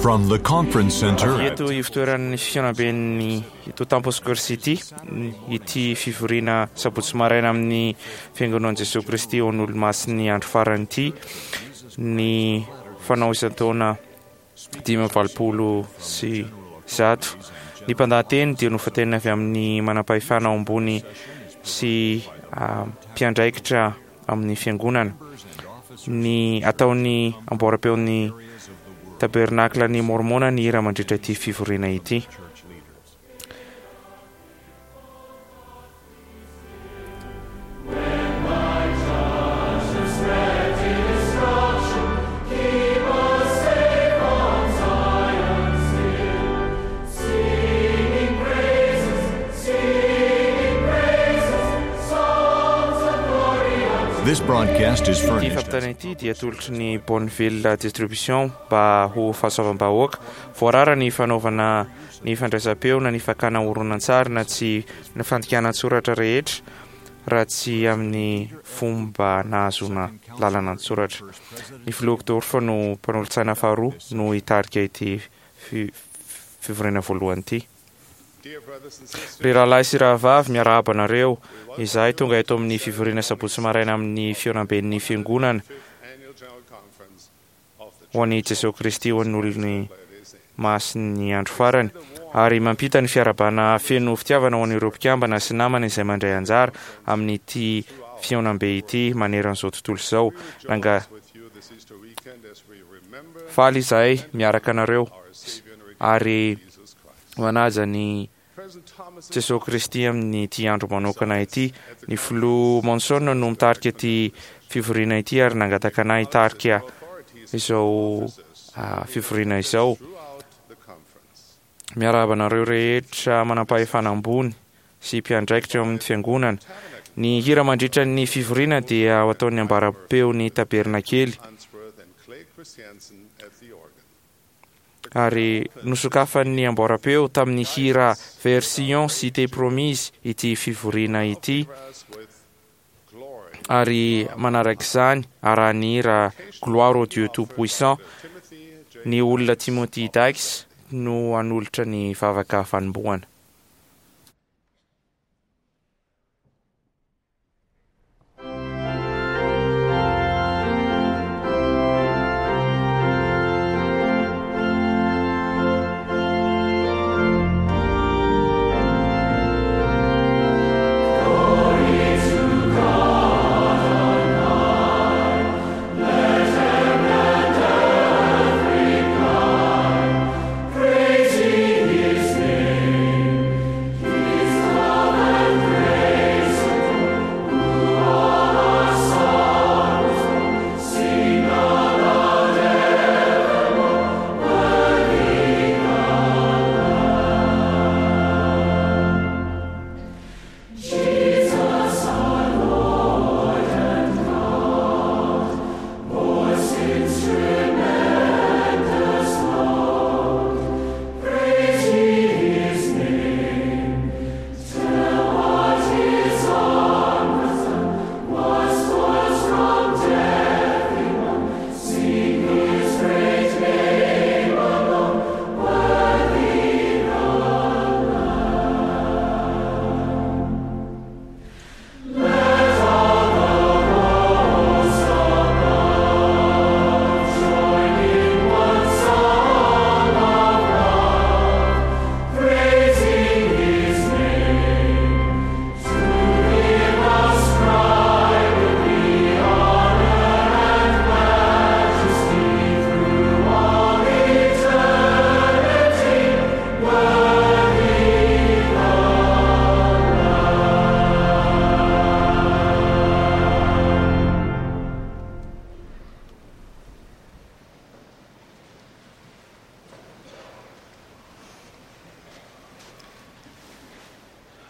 From the conference center Avy eto ivotoeran'ny fihaonamben'ny eto Temple Square City ity fivoriana sabotsy maraina amin'ny Fiangonan'i Jesoa Kristy ao An'Olomasin'ny andro farany ity ny fanao isan-taona 185. Ny mpandahateny dia nofantenina avy amin'ny manampahefana ao ambony sy mpiandraikitra amin'ny fiangonana. Ny ataon'ny amboaram-peon'ny Tabernaklan'i Môrmôna ny hira mandritra ity fivoriana ity. This broadcast is Ity furnished fampitana ity dia atolotry ny Bonneville Distribution mba ho fahasoavam-bahoaka. Voarara ny fanaovana ny fandraisam-peo na ny fakana horonantsary na tsy ny fandikana an-tsoratra rehetra raha tsy amin'ny fomba nahazoana lalana an-tsoratra. Ny filoha Uchtdorf no mpanolotsaina faharoa no hitarika ity fivoriana voalohany ity. Ry rahalahy sy rahavavy, miarahaba anareo. Izahay tonga eto amin'ny fivoriana sabotsy maraina amin'ny fihaonamben'ny Fiangonana ho an'i Jesoa Kristy ho an'ny olony masin'ny andro farany, ary mampita ny fiarahabana feno fitiavana ho an'ireo mpikambana sy namana izay mandray anjara amin'ity fihaonambe ity maneran'izao tontolo izao. Nanga faly izahay miaraka anareo ary manaja ny Jesoa Kristy amin'ity andro manokana ity. Ny Filoha Monson no mitarika ity fivoriana ity ary nangataka anay hitarika izao fivoriana izao. Miarahaba anareo rehetra manampahefana ambony sy mpiandraikitra eo amin'ny fiangonana. Ny hira mandritra ny fivoriana dia ho ataon'ny ambara-peon'ny tabernakely. Ary nosokafan'ny amboaram-peo tamin'ny hira Vers Sion, Cité Promise ity fivoriana ity, ary manarak'izany arahan'ny hira Gloire au Dieu Tout-Puissant. Ny olona Timothy Dykes no hanolotra ny vavaka fanombohana.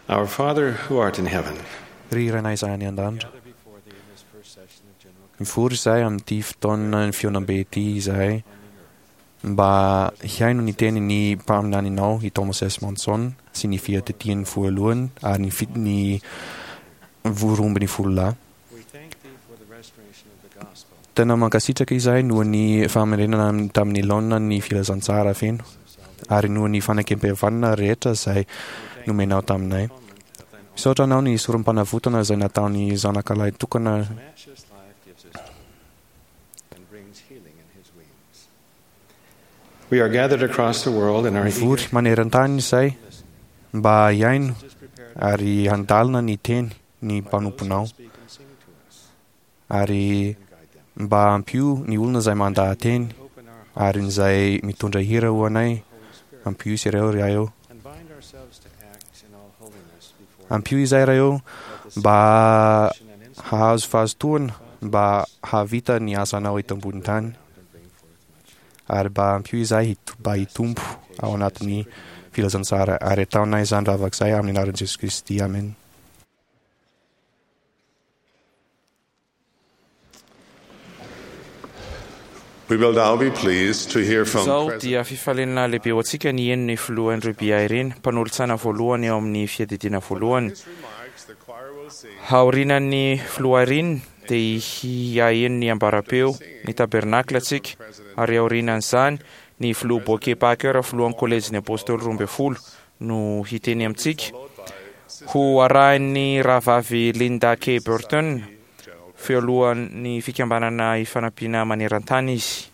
Our Father who art in heaven, Ry Rainay izay any an-danitra, mivory izahay amin'ity fotoana ny fihaonambe ity izahay mba hihaino ny tenin'ny mpaminaninao i Thomas S. Monson sy ny fiadidiany voalohany ary ny ny 12 lahy. Tena mankasitraka izahay noho ny famerenana tamin'ny laonina ny filazantsara feno ary noho ny fanekempihavanana rehetra izay nomenao taminay. Misaotra anao ny sorom-panavotana izay nataon'ny Zanakalahy tokana. We are gathered across the world and are Mivory maneran-tany izay mba hihaino ary handalina ny teny ny mpanomponao ary mba ampio ny olona izay mandaha-teny ary ny izay mitondra hira ho anay ampio izy ireo ry eo ampio izay ray eo mba hahazo fahazotoana mba hahavita ny asanao eto ambony tany ary mba ampio izahay mba hitombo ao anatin'ny filazantsara ary ataonay izany vavaka izay amin'ny anaran'i Jesosy Kristy amen. We will now be pleased to hear from Izao President dia fifaliana lehibe ho antsika ny heno ny filoha Andrew B. Irene, mpanolotsaina voalohany ao amin'ny fiadidiana voalohany. His remarks, the choir will sing Aorianan'ny filoha Irene dia hiaheno ny ambarapeo ny tabernakla antsika, ary aorianan'izany ny filoha Boke Packer, filohan'ny kolejin'ny apôstôly 12 no hiteny amintsika. Ho arahin'ny rahavavy Linda K. Burton, filohan'ny fikambanana ifanampiana maneran-tany izy.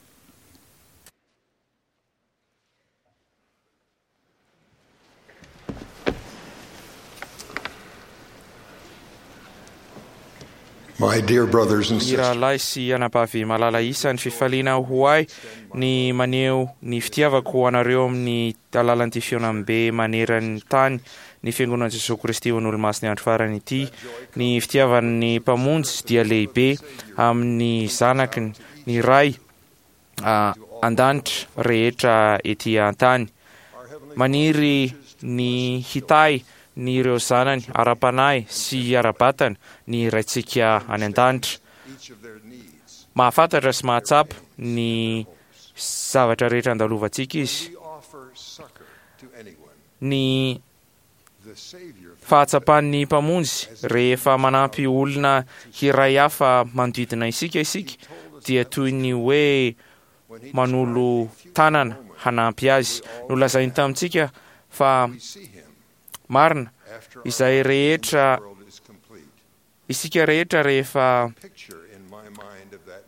My dear brothers and Ny sisters, rahalahy sy anabavy malala isany fifaliana ho ahy ny maneho ny fitiavako ho anareo amin'ny alalan'ity fihaonambe maneran'ny tany ny fiangonan'i Jesoa Kristy ho an'Olomasin'ny andro farany ity. Ny fitiavan'ny Mpamonjy dia lehibe amin'ny zanaky ny Ray an-danitra rehetra ety an-tany. Maniry ny hitahy ny ireo zanany ara-panahy sy ara-batana ny Raintsika any an-danitra. Mahafantatra sy mahatsapa ny zavatra rehetra andalovantsika izy. Ny fahatsapan'ny Mpamonjy rehefa manampy olona hiray hafa manodidina isika isika dia toy ny hoe manolo tanana hanampy azy. Nolazainy tamintsika fa marina izay rehetra isika rehetra rehefa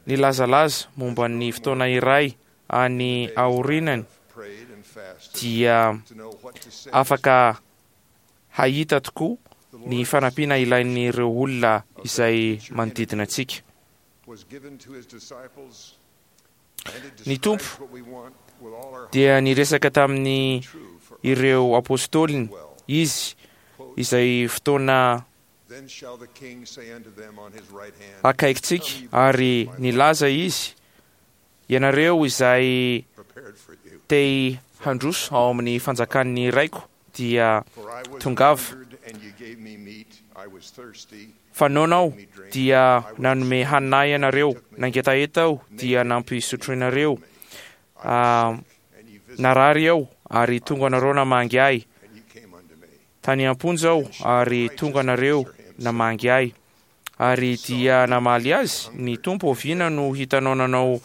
nilazalaza momba ny fotoana iray any aorinany dia afaka hahita tokoa ny fanampiana ilain'ireo olona izay manodidina antsika. Ny Tompo dia niresaka tamin'ny ireo apôstôliny izy izay fotoana akaikintsika ary nilaza izy ianareo izay te handroso ao amin'ny fanjakan'ny Raiko dia tongava. Fa noana aho dia nanome hanina ahy ianareo, nangetaheta aho dia nampisotroinareo, narary aho ary tonga anareo namangy ahy, tany am-ponja aho ary tonga anareo namangy ahy. Ary dia namaly azy ny Tompo, oviana no hitanao nanao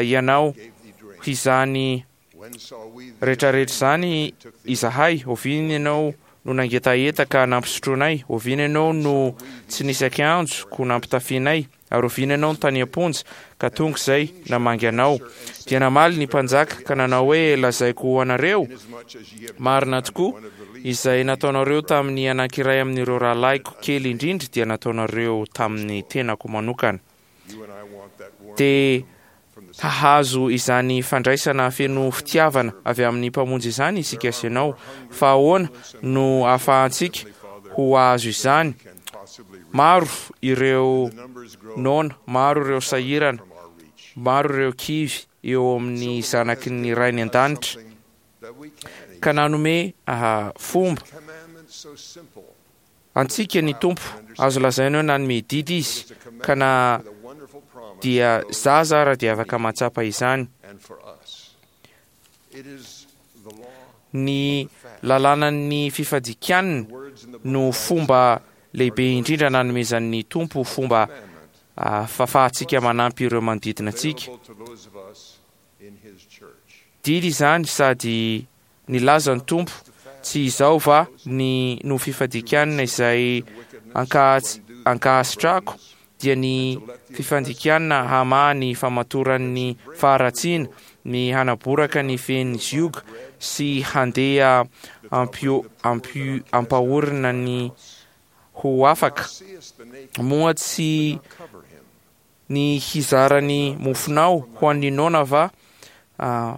ianao izany rehetrarehetra izany izahay? Oviana ianao no nangetaheta ka nampisotroinay? Oviana ianao no tsy nisy akanjo ko nampitafianay? Ary oviana ianao no tany am-ponja ka tonga izay namangy anao? Dia namaly ny mpanjaka ka nanao hoe, Lazaiko ho anareo marina tokoa, izay nataonareo tamin'ny anankiray amin'ireo rahalahiko kely indrindra dia nataonareo tamin'ny tenako manokana. Dia hahazo izany fandraisana feno fitiavana avy amin'ny Mpamonjy izany isika sy ianao. Fa ahoana no ahafahantsika ho azo izany? Maro ireo noana, maro ireo sahirana, maro ireo kivy eo amin'ny zanaky ny Rainy an-danitra, ka nanome fomba antsika ny Tompo. Azo lazaina hoe nanome didy Izy, ka na dia zaza ara dia afaka mahatsapa izany. Ny lalànan'ny fifadikanina no fomba lehibe indrindra nanomezan'ny Tompo fomba. fahafahantsika manampy ireo manodidina antsika. Didy izany sady nilaza ny Tompo, Tsy izao va ny no fifadikanina izay ankahasitrahako, dia ny fifandikana hamaha ny famatoran'ny faharatsiana, ny hanaboraka ny fehin'ny zioga sy handeha ampahorina ny ho afaka? Moa tsy ny hizara ny mofonao ho an'ny noana va?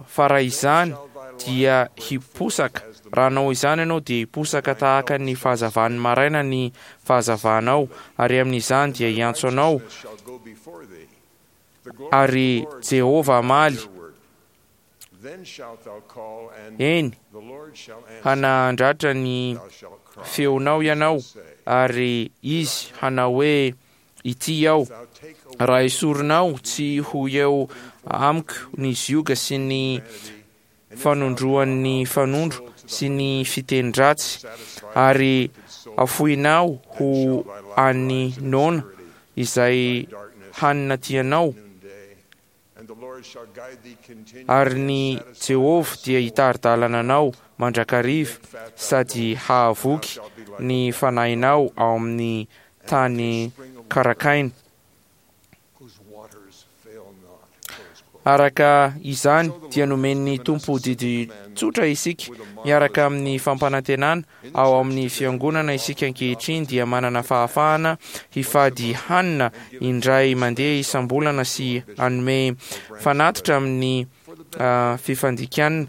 Fa raha izany dia hiposaka, raha hanao izany ianao dia hiposaka tahaka ny fahazavan'ny maraina ny fahazavanao, ary amin'izany dia hiantso anao, ary Jehovah hamaly, Eny, hanandratra ny feonao ianao, ary izy hanao hoe, Ity aho. Raha esorinao tsy ho eo amiko ny zioga sy ny fanondroan'ny fanondro sy ny fiteny-dratsy, ary afoinao ho an'ny noana izay hanina tianao, Ary ny Jehovah dia hitari-dalana anao mandrakariva sady hahavoky ny fanahinao ao amin'ny tany karakaina. Araka izany dia nomen'ny Tompo didy tsotra isika miaraka amin'ny fampanantenana Ao amin'ny Fiangonana isika ankehitriny dia manana fahafahana hifady hanina indray mandeha isam-bolana sy hanome fanatitra amin'ny fifandikana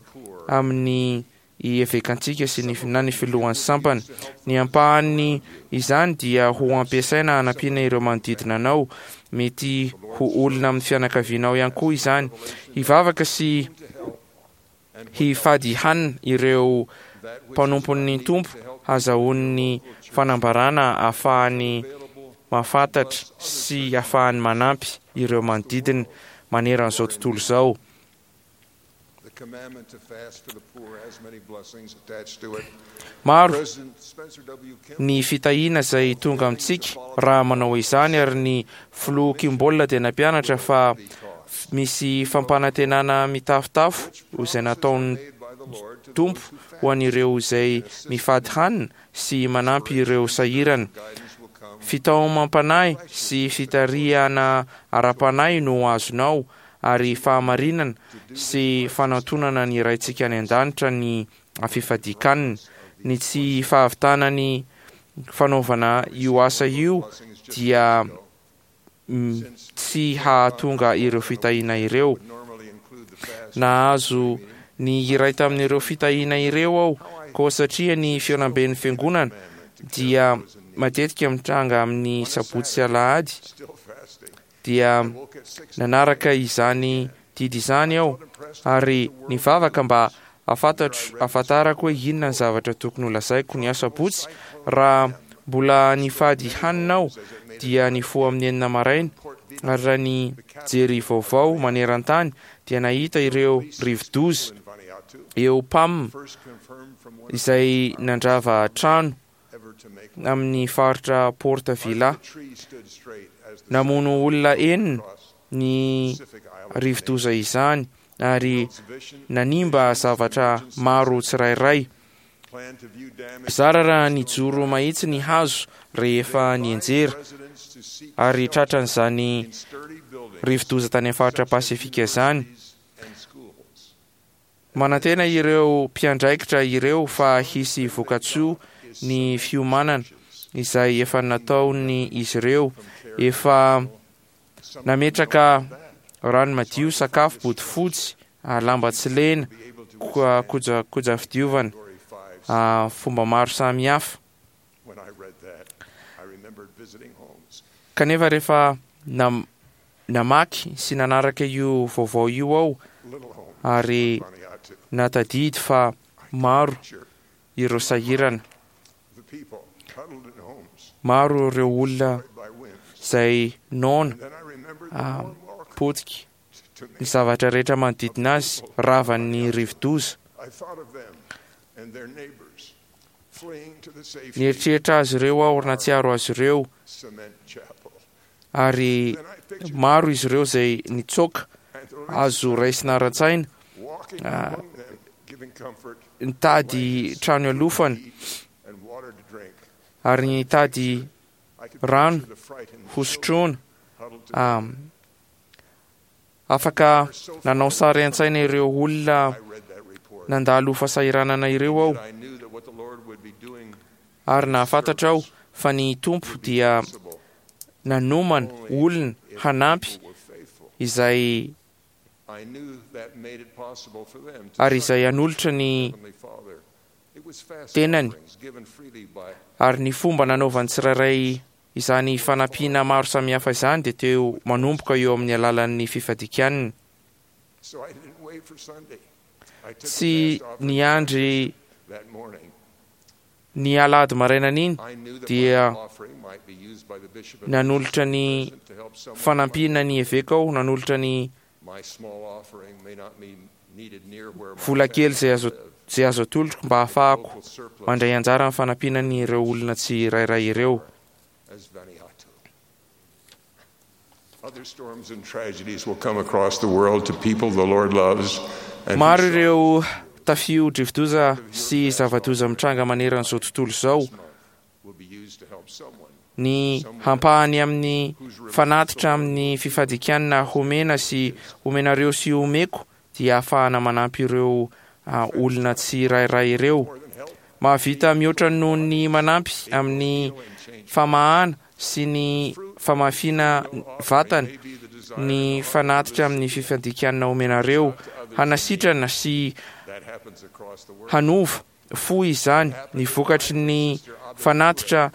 amin'ny evekantsika sy ny na ny filohan'ny sampana. Ny ampahan'ny izany dia ho ampiasaina hanampiana ireo manodidina anao, mety ho olona amin'ny fianakavianao ihany koa izany. Hivavaka sy hifady hanina ireo mpanompon'ny Tompo hazahoany fanambarana ahafahany mahafantatra sy ahafahany manampy ireo manodidina maneran'izao tontolo izao. Maro ny fitahiana izay tonga amintsika raha manao izany ary ny Filoha Kimball dia nampianatra fa misy fampanantenana mitafotafo izay nataon'ny Tompo ho an'ireo izay mifady hanina sy manampy ireo sahirana. Fitaomam-panahy sy fitarihana ara-panahy no azonao ary fahamarinana sy fanantonana ny Raintsika any An-danitra ny fifadian-kanina. Ny tsy fahavitana ny fanaovana io asa io dia tsy hahatonga ireo fitahiana ireo. Nahazo ny iray tamin'ireo fitahiana ireo aho, koa satria ny fihaonamben'ny Fiangonana dia matetika mitranga amin'ny sabotsy sy alahady, dia nanaraka izany didy izany aho ary nivavaka mba hafantatro hafantarako hoe inona ny zavatra tokony holazaiko ny asabotsy raha mbola nifady hanina aho dia nifoha amin'ny enina maraina ary raha nijery vaovao maneran-tany dia nahita ireo rivodoza eo Pam izay nandrava trano amin'ny faritra Port Vila. Namono olona enina ny rivodoza izany ary nanimba zavatra maro tsirairay. Zara raha nijoro mahitsy ny hazo rehefa nianjera ary tratran'izany rivodoza tany amin'ny faritra Pasifika izany. Manantena ireo mpiandraikitra ireo fa hisy vokatsoa ny fiomanana izay efa nataon'izy ireo. Efa nametraka rano madio, sakafo, bodofotsy, lamba tsy lena, kojakoja fidiovana, fomba maro samihafa. Kanefa rehefa namaky sy nanaraka io vaovao io aho ary natadidy fa maro ireo sahirana, maro ireo olona izay noana, potika, ny zavatra rehetra manodidina azy ravan'ny rivodoza. Nieritreritra azy ireo aho ary nahatsiaro azy ireo. Ary maro izy ireo izay nitsoaka, azo raisina ara-tsaina, nitady trano ialofana ary nitady rano hosotroina. Afaka nanao sary an-tsaina ireo olona nandalo fahasahiranana ireo aho, ary nahafantatra aho fa ny Tompo dia nanomana olona hanampy izay ary izay hanolotra ny tenany, ary ny fomba nanaovan'ny tsirairay izany fanampiana maro samihafa izany dia teo manomboka eo amin'ny alalan'ny fifadikanina. Tsy niandry ny alahady marainan'iny dia nanolotra ny fanampiana ny eveka aho, nanolotra ny vola kely izay azo izay azo atolotro mba hahafahako mandray anjara amin'ny fanampiana an'ireo olona tsirairay ireo. Maro ireo tafio-drivodoza sy zava-doza mitranga manerana izao tontolo izao. Ny ampahany amin'ny fanatitra amin'ny fifadikanana homena sy homenareo sy homeko dia ahafahana manampy ireo olona tsirairay ireo. Mahavita mihoatra noho ny manampy amin'ny famahana sy ny famafiana vatana ny fanatitra amin'ny fifadikanana omenareo. Hanasitrana sy hanova fo izany. Ny vokatry ny fanatitra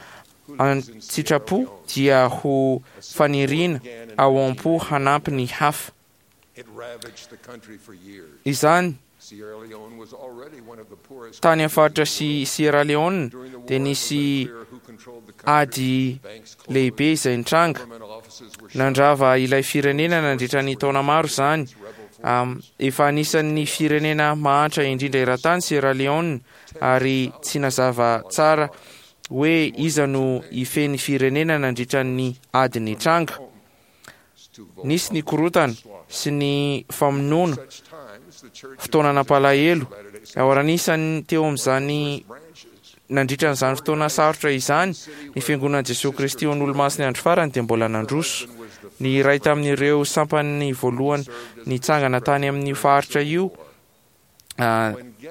an-tsitrapo dia ho faniriana ao am-po hanampy ny hafa. Izany, tany amin'ny faritra sy Sierra Leone dia nisy ady lehibe izay nitranga. Nandrava ilay firenena nandritra ny taona maro izany. Efa anisan'ny firenena mahantra indrindra eran-tany Sierra Leone ary tsy nazava tsara hoe iza no hifehy ny firenena nandritra ny ady nitranga. Nisy ny korontana sy ny famonoana, fotoana nampalahelo. Ary anisan'ny teo amin'izany nandritra an'izany fotoana sarotra izany, ny Fiangonan'i Jesoa Kristy ho an'Olomasin'ny Andro Farany dia mbola nandroso. Ny iray tamin'ireo sampany voalohany nitsangana tany amin'io faritra io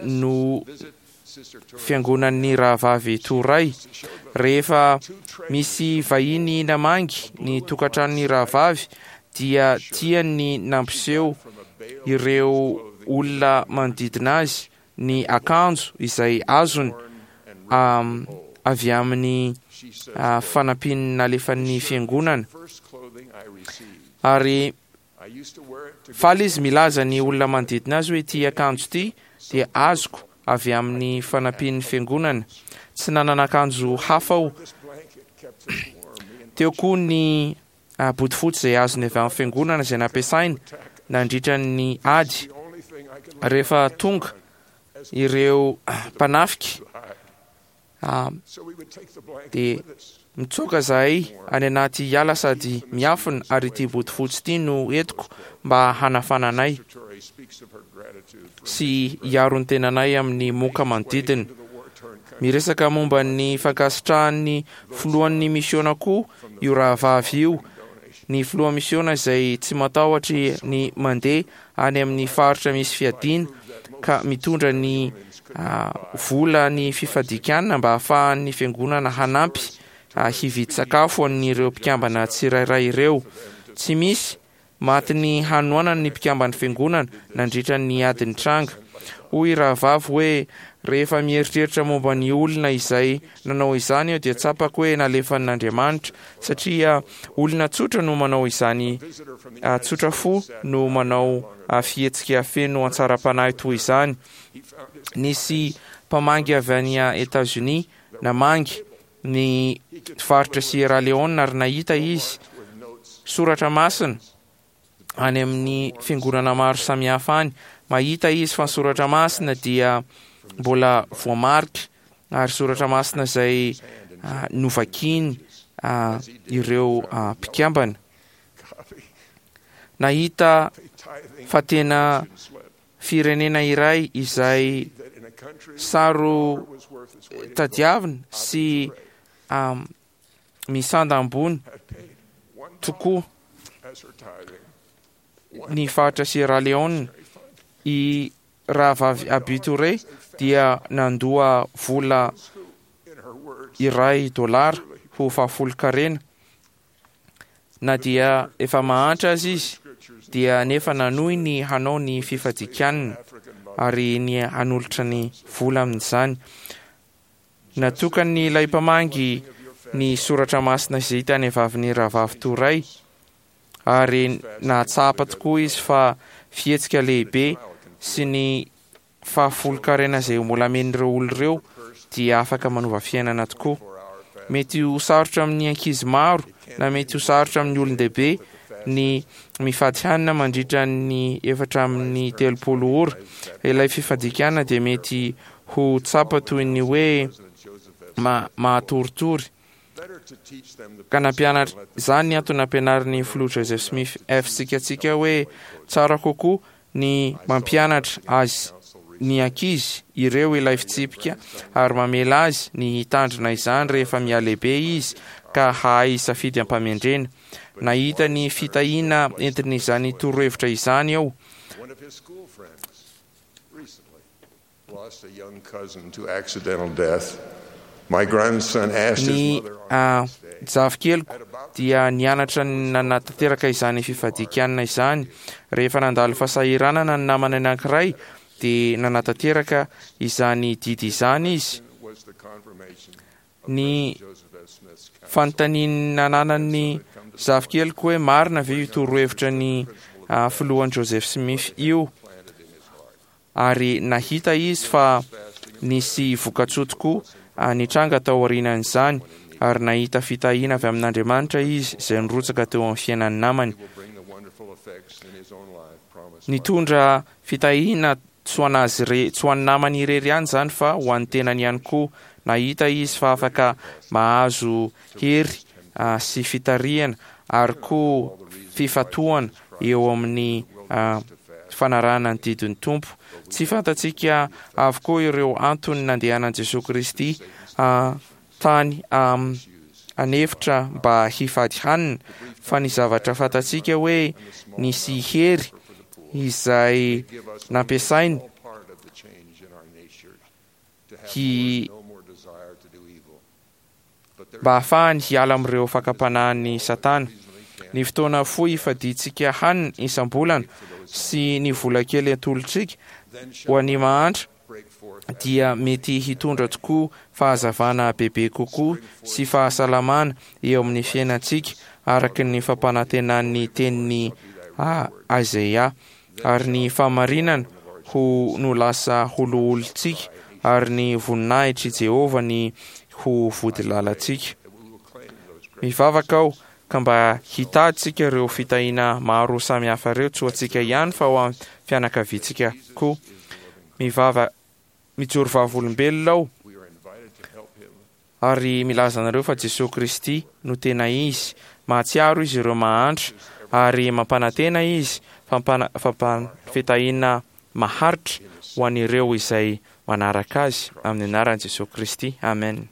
no fiangonan'ny rahavavy Toray. Rehefa misy vahiny namangy ny tokantranon'ny rahavavy dia tiany ny nampiseho ireo olona manodidina azy ny akanjo izay azony avy amin'ny fanampian'ny nalefan'ny fiangonana. Ary Faly izy milaza ny olona manodidina azy hoe ity akanjo ity dia azoko avy amin'ny fanampian'ny fiangonana. Tsy nanana akanjo hafa aho. Teo koa ny bodofotsy izay azony avy amin'ny fiangonana izay nampiasainy nandritra ny ady. Rehefa tonga ireo mpanafika Dia mitsoaka zahay any anaty ala sady miafina ary ity bodofotsy ity no entiko mba hanafana anay sy hiaro ny tenanay amin'ny moka manodidina. Miresaka momba ny fankasitrahan'ny filohan'ny misiona koa io rahavavy io, ny filoha misiona izay tsy matahotra ny mandeha any amin'ny faritra misy fiadiana ka mitondra ny vola ny fifadikanana mba hahafahan'ny fiangonana hanampy hividy sakafo an'ireo mpikambana tsirairay ireo. Tsy misy matin'ny hanoanana ny mpikamban'ny fiangonana nandritra ny ady nitranga. Hoy rahavavy hoe, Rehefa mieritreritra momba ny olona izay nanao izany aho dia tsapako hoe nalefan'Andriamanitra satria olona tsotra no manao izany, tsotra fo no manao fihetsika feno hatsaram-panahy toy izany. Nisy mpamangy avy any Etazonia namangy ny faritra Sierra Leone ary nahita izy soratra masina any amin'ny fiangonana maro samihafa any. Mahita izy fa ny soratra masina dia mbola voamarika ary soratra masina izay novakiny ireo mpikambana. Nahita fa tena firenena iray izay saro tadiavina sy misanda ambony tokoa ny faritra Sierra Leone. I rahavavy Aby Touré dia nandoa vola iray dolara ho fahafolonkarena. Na dia efa mahantra aza izy dia nefa nanohy ny hanao ny fifadikanina ary ny hanolotra ny vola amin'izany. Natokan'ilay mpamangy ny soratra masina izay hitany avy amin'ny rahavavy Toray ary nahatsapa tokoa izy fa fihetsika lehibe sy ny fahafolonkarena izay mbola amen'ireo olona ireo dia afaka manova fiainana tokoa. Mety ho sarotra amin'ny ankizy maro na mety ho sarotra amin'ny olon-dehibe ny mifady hanina mandritra ny 34 ora. Ilay fifadian-kanina dia mety ho tsapa toy ny hoe mahatoritory. Ka nampianatra izany ny antony nampianarin'ny filoha Joseph Smith fsika antsika hoe tsara kokoa ny mampianatra azy ny ankizy ireo ilay fitsipika ary mamela azy ny hitandrina izany rehefa mihalehibe izy ka hahay hisafidy am-pamendrena. Nahita ny fitahiana entin'izany torohevitra izany aho. Ny zafikeliko dia nianatra nanatanteraka izany fifadian-kanina izany. Rehefa nandalo fahasahiranana ny namany anankiray, dia nanatanteraka izany didy izany izy. Ny fanontaniana nananan'ny zafikeliko hoe marina ve io torohevitra ny filohan'i Joseph Smith io? Ary nahita izy fa nisy vokatsoa tokoa nitranga tao aorianan'izany, ary nahita fitahiana avy amin'Andriamanitra izy izay nirotsaka teo amin'ny fiainan'ny namany. Nitondra fitahiana tsy ho an'azy re, tsy ho an'ny namany irery ihany izany fa ho an'ny tenany ihany koa. Nahita izy fa afaka mahazo hery sy fitarihana ary koa fifantohana eo amin'ny fanarahana ny didin'ny Tompo. Tsy fantatsika avokoa ireo antony nandehanan'i Jesoa Kristy tany an'efitra mba hifady hanina, fa ny zavatra fantatsika hoe nisy hery izay nampiasainy hi mba hahafahany hiala amin'ireo fakam-panahin'i Satana. Ny fotoana fohy ifadiantsika hanina isam-bolana sy ny vola kely atolotsika ho an'ny mahantra dia mety hitondra tokoa fahazavana bebe kokoa sy fahasalamana eo amin'ny fiainantsika araka ny fampanantenan'ny tenin'i Isaiah. Ary ny fahamarinana ho no lasa ho loholontsika, ary ny voninahitr'i Jehovah ny ho vodilalantsika. Mivavaka aho ka mba hitadintsika ireo fitahiana maro samihafa ireo, tsy ho antsika ihany fa ho an'ny fianakaviantsika koa. Mivava, mijoro vavolombelona aho ary milaza anareo fa Jesoa Kristy no tena Izy. Mahatsiaro Izy ireo mahantra ary mampanantena Izy fampifitahiana maharitra ho an'ireo izay manaraka Azy amin'ny anaran'i Jesoa Kristy. Amen.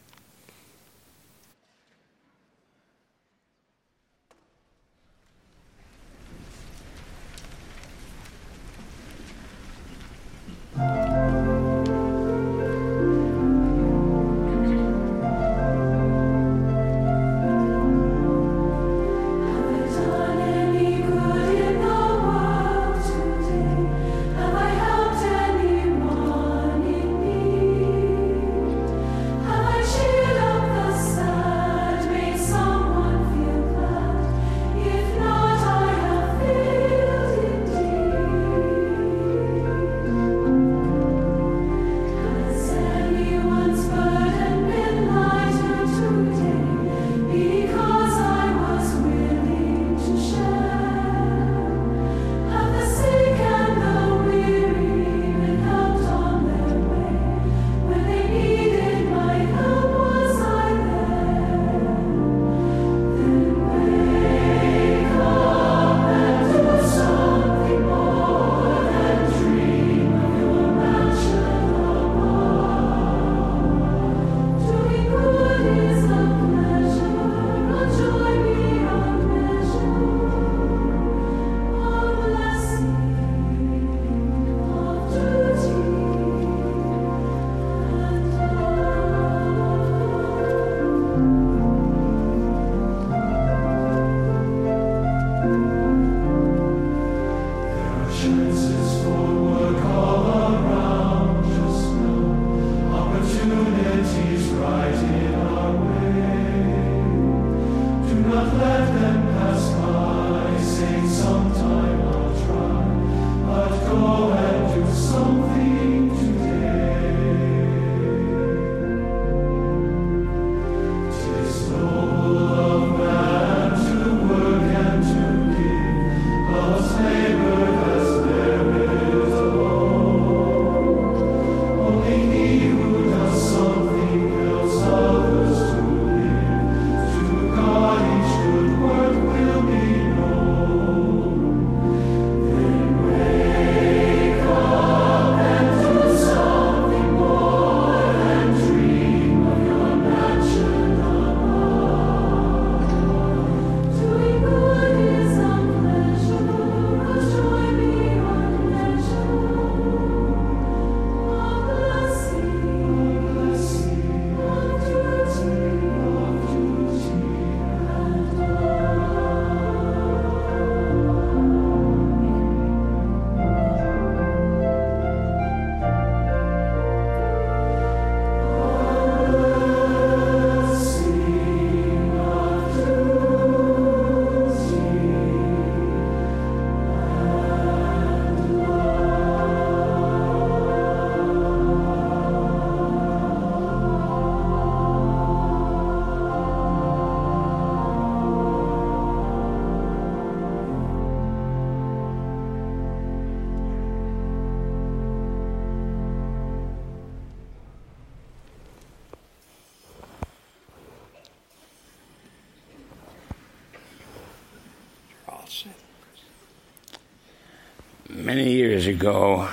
Many years ago,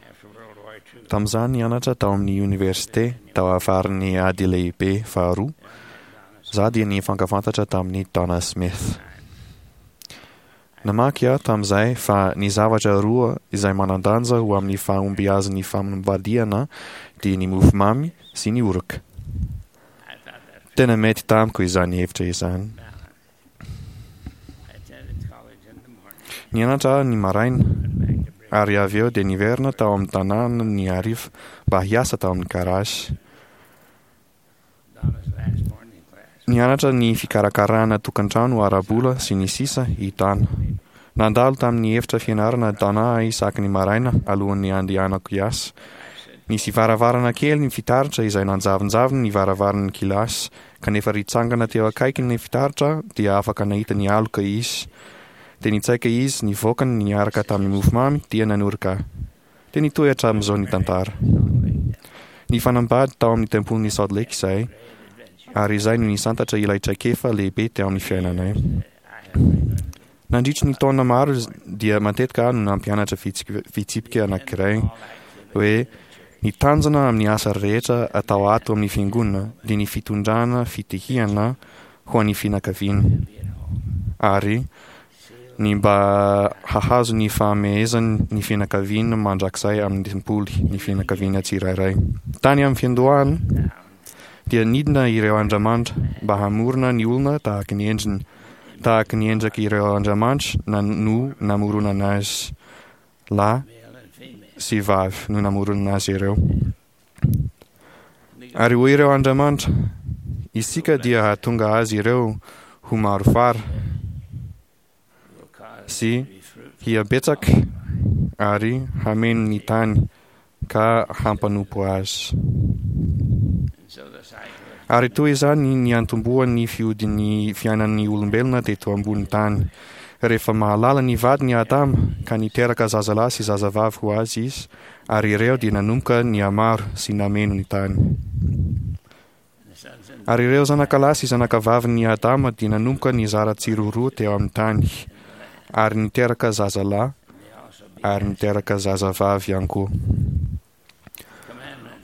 after World War II, Tamin'izaho nianatra tao amin'ny oniversite tao afaran'ny Ady Lehibe Faharoa, izaho dia nifankafantatra tamin'i Donna Smith. Namaky aho tamin'izay fa ny zavatra roa izay manan-danja ho amin'ny fahombiazan'ny fanambadiana dia ny mofomamy sy ny oroka. Tena mety tamiko izany hevitra izany. Nianatra aho ny maraina, ary avy eo dia niverina tao amin'ny tanàna ny hariva mba hiasa tao amin'ny garage. Nianatra ny fikarakarana tokantrano ara-bola sy ny sisa i Dana. Nandalo tamin'ny efitra fianarana Dana aho isaky ny maraina alohan'ny handehanako hiasa. Nisy varavarana kely ny fitaratra izay nanjavonjavona ny varavaran'ny kilasy, kanefa ritsangana teo akaikin'ny fitaratra dia afaka nahita ny aloka izy. Dia nitsaika izy nivoaka niaraka tamin'ny mofomamy dia nanoroka ahy. Dia nitohy hatramin'izao ny tantara. Nifanambady tao amin'ny tempolin'i Salt Lake izahay, ary izay no nisantatra ilay traikefa lehibe teo amin'ny fiainanay. Nandritry ny taona maro dia matetika aho no nampianatra fitsipika anankiray hoe ny tanjona amin'ny asa rehetra atao ato amin'ny fiangonana dia ny fitondrana fitihihana ho an'ny fianakaviana ary ny mba hahazo ny fahamehezany ny fianakaviana mandrakizay amin'ny tempoly ny fianakaviana tsirairay. Tany amin'ny fiandohana dia nidina ireo andriamanitra mba hamorona ny olona tahaka ny endriny, tahaka ny endrik' ireo andriamanitra na no namoronana azy, lahy sy vavy no namoronana azy ireo. Ary hoy ireo andriamanitra, Isika dia hahatonga azy ireo ho maro fara sy hihabetsaka ary hameno ny tany ka hampanompo azy. Ary toy izany ny niantombohan'ny fihodin'ny fiainan'ny olombelona teto ambony tany. Rehefa mahalala ny vadiny Adama ka niteraka zazalahy sy zazavavy ho azy izy, ary ireo dia nanomboka nihamaro sy nameno ny tany. Ary ireo zanakalahy sy zanakavavin'i Adama dia nanomboka nizara tsiroaroa teo amin'ny tany, ary niteraka zazalahy ary niteraka zazavavy ihany koa.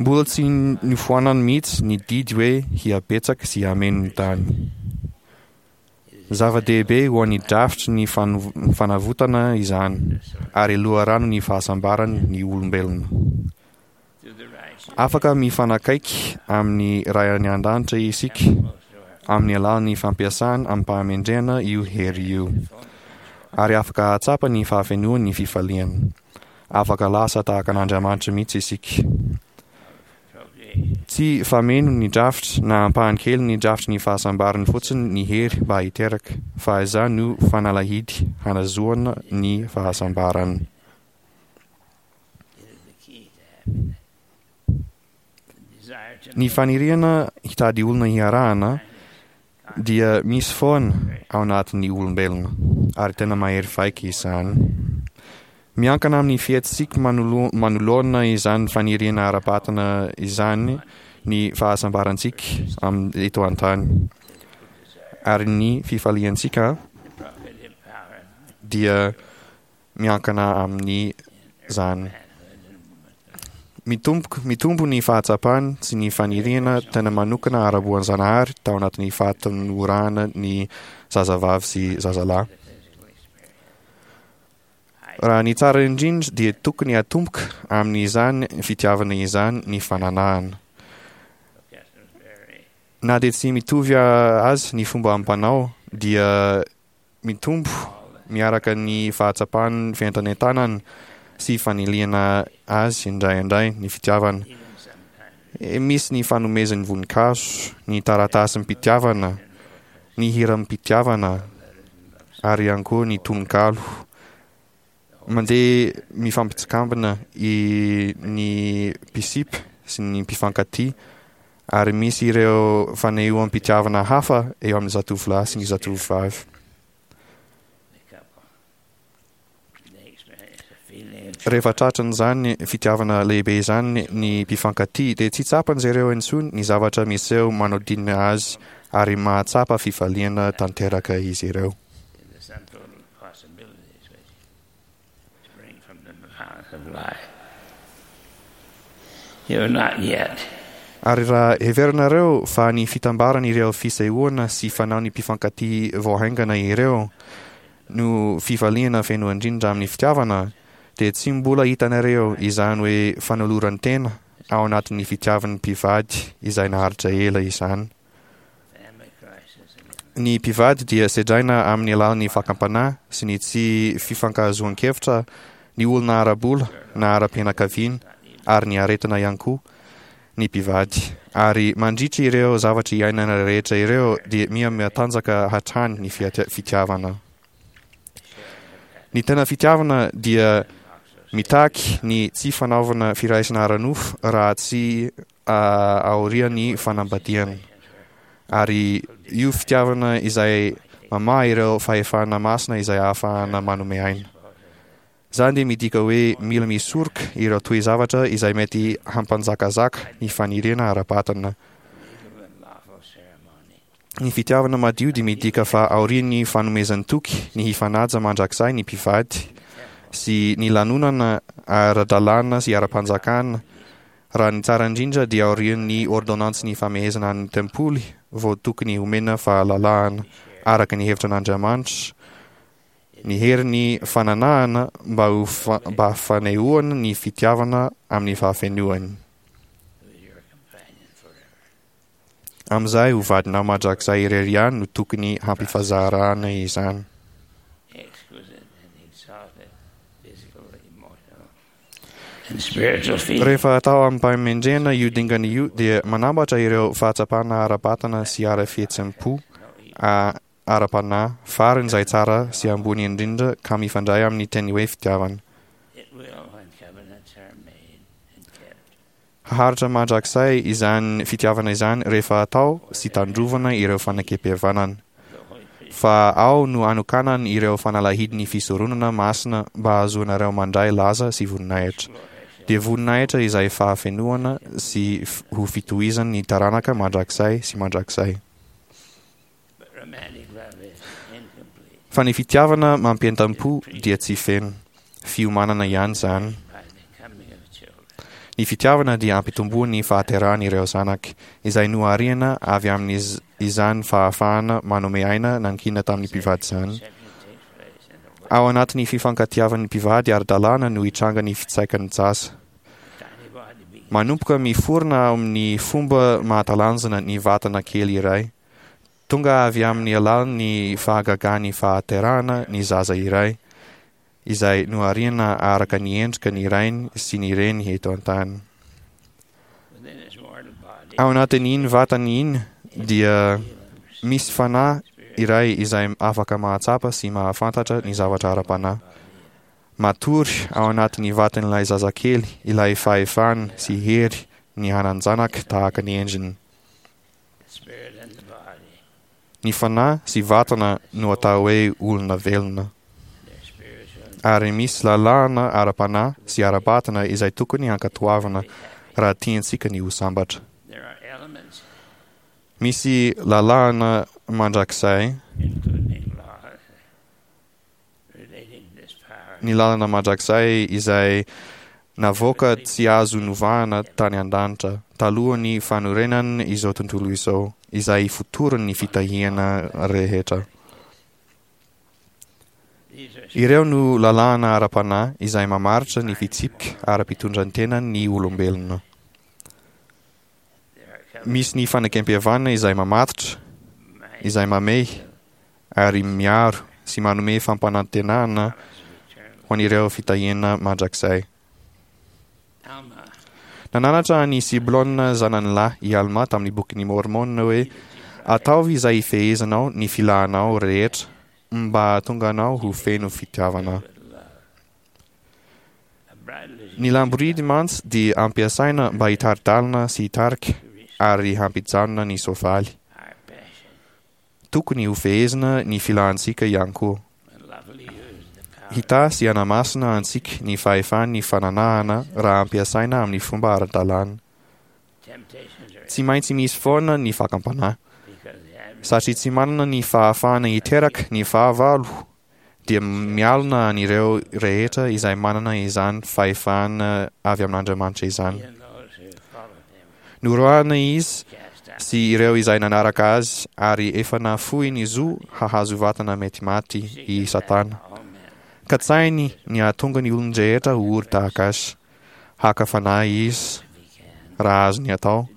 Mbola tsy nofoanany mihitsy ny didy hoe hihabetsaka sy hameno ny tany. Zava-dehibe ho an'ny drafitry ny fanavotana izany, ary loharanon'ny fahasambarany ny olombelona. Afaka mifanakaiky amin'ny Ray any An-danitra isika amin'ny alalan'ny fampiasana amim-pahamendrehana io hery io, ary afaka hahatsapa ny fahafenoan'ny fifaliana. Afaka lasa tahaka an'Andriamanitra mihitsy isika. Tsy fameno ny drafitra na ampahany kely ny drafitry ny fahasambarany fotsiny ny hery mba hiteraka, fa izany no fanalahidy hanazoana ny fahasambarana. Ny faniriana hitady olona hiarahana dia misy foana ao anatin'ny olombelona, ary tena mahery vaika izany. Miankina amin'ny fihetsitsika manoloana izany faniriana ara-batana izany ny fahasambarantsika eto an-tany, ary ny fifaliantsika dia miankina amin'izany. Mitombo, mitombo ny fahatsapany sy ny faniriana tena manokana ara-boanjanahary tao anatin'ny fahatanorana ny zazavavy sy zazalahy. Raha ny tsara indrindra dia tokony hatomboka amin'izany fitiavana izany ny fananahana. Na dia tsy mitovy azy ny fomba amam-panao dia mitombo miaraka ny fahatsapan'ny fientanentanana sy fanilihana azy indraindray ny fitiavana. Misy ny fanomezan'ny voninkazo, ny taratasim-pitiavana, ny hiram-pitiavana ary ihany koa ny tononkalo. Mandeha mifampitsikambina i ny mpisipa sy ny mpifankatia ary misy ireo fanehoam-pitiavana hafa eo amin'ny zatovolahy sy ny zatovovavy. Rehefa tratran'izany fitiavana lehibe izany ny mpifankatia dia tsy tsapan'izy ireo intsony ny zavatra miseho manodidina azy ary mahatsapa fifaliana tanteraka izy ireo. Ary raha heverinareo fa ny fitambaran'ireo fisehoana sy fanaon'ny mpifankatia vao haingana ireo no fifaliana feno indrindra amin'ny fitiavana, dia tsy mbola hitanareo izany hoe fanoloran-tena ao anatin'ny fitiavan'ny mpivady izay naharitra ela izany. Ny mpivady dia sedraina amin'ny alalan'ny fakam-panahy sy ny tsy fifankahazoan-kevitra, ny olona ara-bola na ara-pianakaviana ary ny aretina ihany koa ny mpivady. Ary mandritra ireo zavatra iainana rehetra ireo dia miha mihatanjaka hatrany ny fitiavana. Ny tena fitiavana dia mitaky ny tsy fanaovana firaisana ara-nofo raha tsy aorian'ny fanambadiana. Ary io fitiavana izay mamaha ireo fahefana masina izay ahafahana manome aina. Izany dia midika hoe mila misoroka ireo toe-zavatra izay mety hampanjakazaka ny faniriana ara-batana. Ny fitiavana madio dia midika fa aorian'ny fanomezan-toky ny hifanaja mandrakizay ny mpivady sy ny lanonana ara-dalàna sy ara-panjakana, raha ny tsara indrindra dia aorian'ny ôrdônansin'ny famehezana an'ny tempoly vao tokony homena fahalalahana araka ny hevitra an'Andriamanitra ny herin'ny fananahana mba ho mba fanehoana ny fitiavana amin'ny fahafenoany. Amin'izay ho vadinao mandrakizay irery ihany no tokony hampifazarana izany. Rehefa atao amim-pahamendrehana io dingana io dia manambatra ireo fahatsapana ara-batana sy ara-fihetseham-po ara-panahy farany izay tsara sy ambony indrindra ka mifandray amin'ny teny hoe fitiavana. Haharitra mandrakizay izany fitiavana izany rehefa atao sy tandrovana ireo fanekempihavanana. Fa ao no anokanany ireo fanalahidin'ny fisoronana masina mba hahazoanareo mandray laza sy voninahitra. Dia voninahitra izay fahafenoana sy ho fitohizan'ny taranaka mandrakizay sy mandrakizay. Fa ny fitiavana mampientam-po dia tsy feno. Fiomanana ihany izany. Ny fitiavana dia ampitomboan'ny fahaterahan'ireo zanaka, izay nohariana avy amin'izany fahafahana manome aina nankina tamin'ny mpivady izany. Ao anatin'ny fifankatiavan'ny mpivady ara-dalàna no hitranga ny fitsaikan'ny zaza. Manomboka miforona amin'ny fomba mahatalanjona ny vatana kely iray. Tonga avy amin'ny alalan'ny fahagagan'ny fahaterahana ny zaza iray, izay nohariana araka ny endrika ny rainy sy ny reny eto an-tany. Ao anatin'iny vatany iny dia misy fanahy iray izay afaka mahatsapa sy mahafantatra ny zavatra ara-panahy. Matory ao anatin'ny vatan'ilay zazakely ilay fahefana sy hery ny hanan-janaka tahaka ny endriny. Ny fanahy sy vatana no atao hoe olona velona. Ary misy lalàna ara-panahy sy ara-batana izay tokony hankatoavina raha tiantsika ny ho sambatra. Misy lalàna mandrakizay. Ny lalana mandrakizay izay navoaka tsy azo novahana tany an-danitra talohan'ny fanorenan' izao tontolo izao, izay ifotoran' ny fitahiana rehetra. Ireo no lalàna ara-panahy izay mamaritra ny fitsipika ara-pitondran-tenan' ny olombelona. Misy ny fanekempihavanana izay mamatotra, izay mamehy ary miaro sy manome fampanantenana ho an'ireo fitahiana mandrakizay. Nananatra an'i Siblôna zanany lahy i Almà tamin'ny Bokin'i Môrmôna hoe, Ataovy izay hifehezanao ny filanao rehetra mba hahatonga anao ho feno fitiavana. Ny lamboridy mantsy dia ampiasaina mba hitari-dalana sy hitarika ary hampijanona ny soavaly. Tokony hofehezina ny filantsika ihany koa. Hitahy sy hanamasina antsika ny fahefan'ny fananahana raha ampiasaina amin'ny fomba ara-dalàna. Tsy maintsy misy foana ny fakam-panahy. Satria tsy manana ny fahafahana hiteraka ny fahavalo. dia mialona an'ireo rehetra izay manana izany fahefana avy amin'Andriamanitra izany. Noroahina izy sy ireo izay nanaraka azy ary efa nahafoy ny zo hahazo vatana mety maty i Satana. Katsahiny ny hahatonga ny olon-drehetra ho ory tahaka azy. Haka fanahy izy, raha azony atao,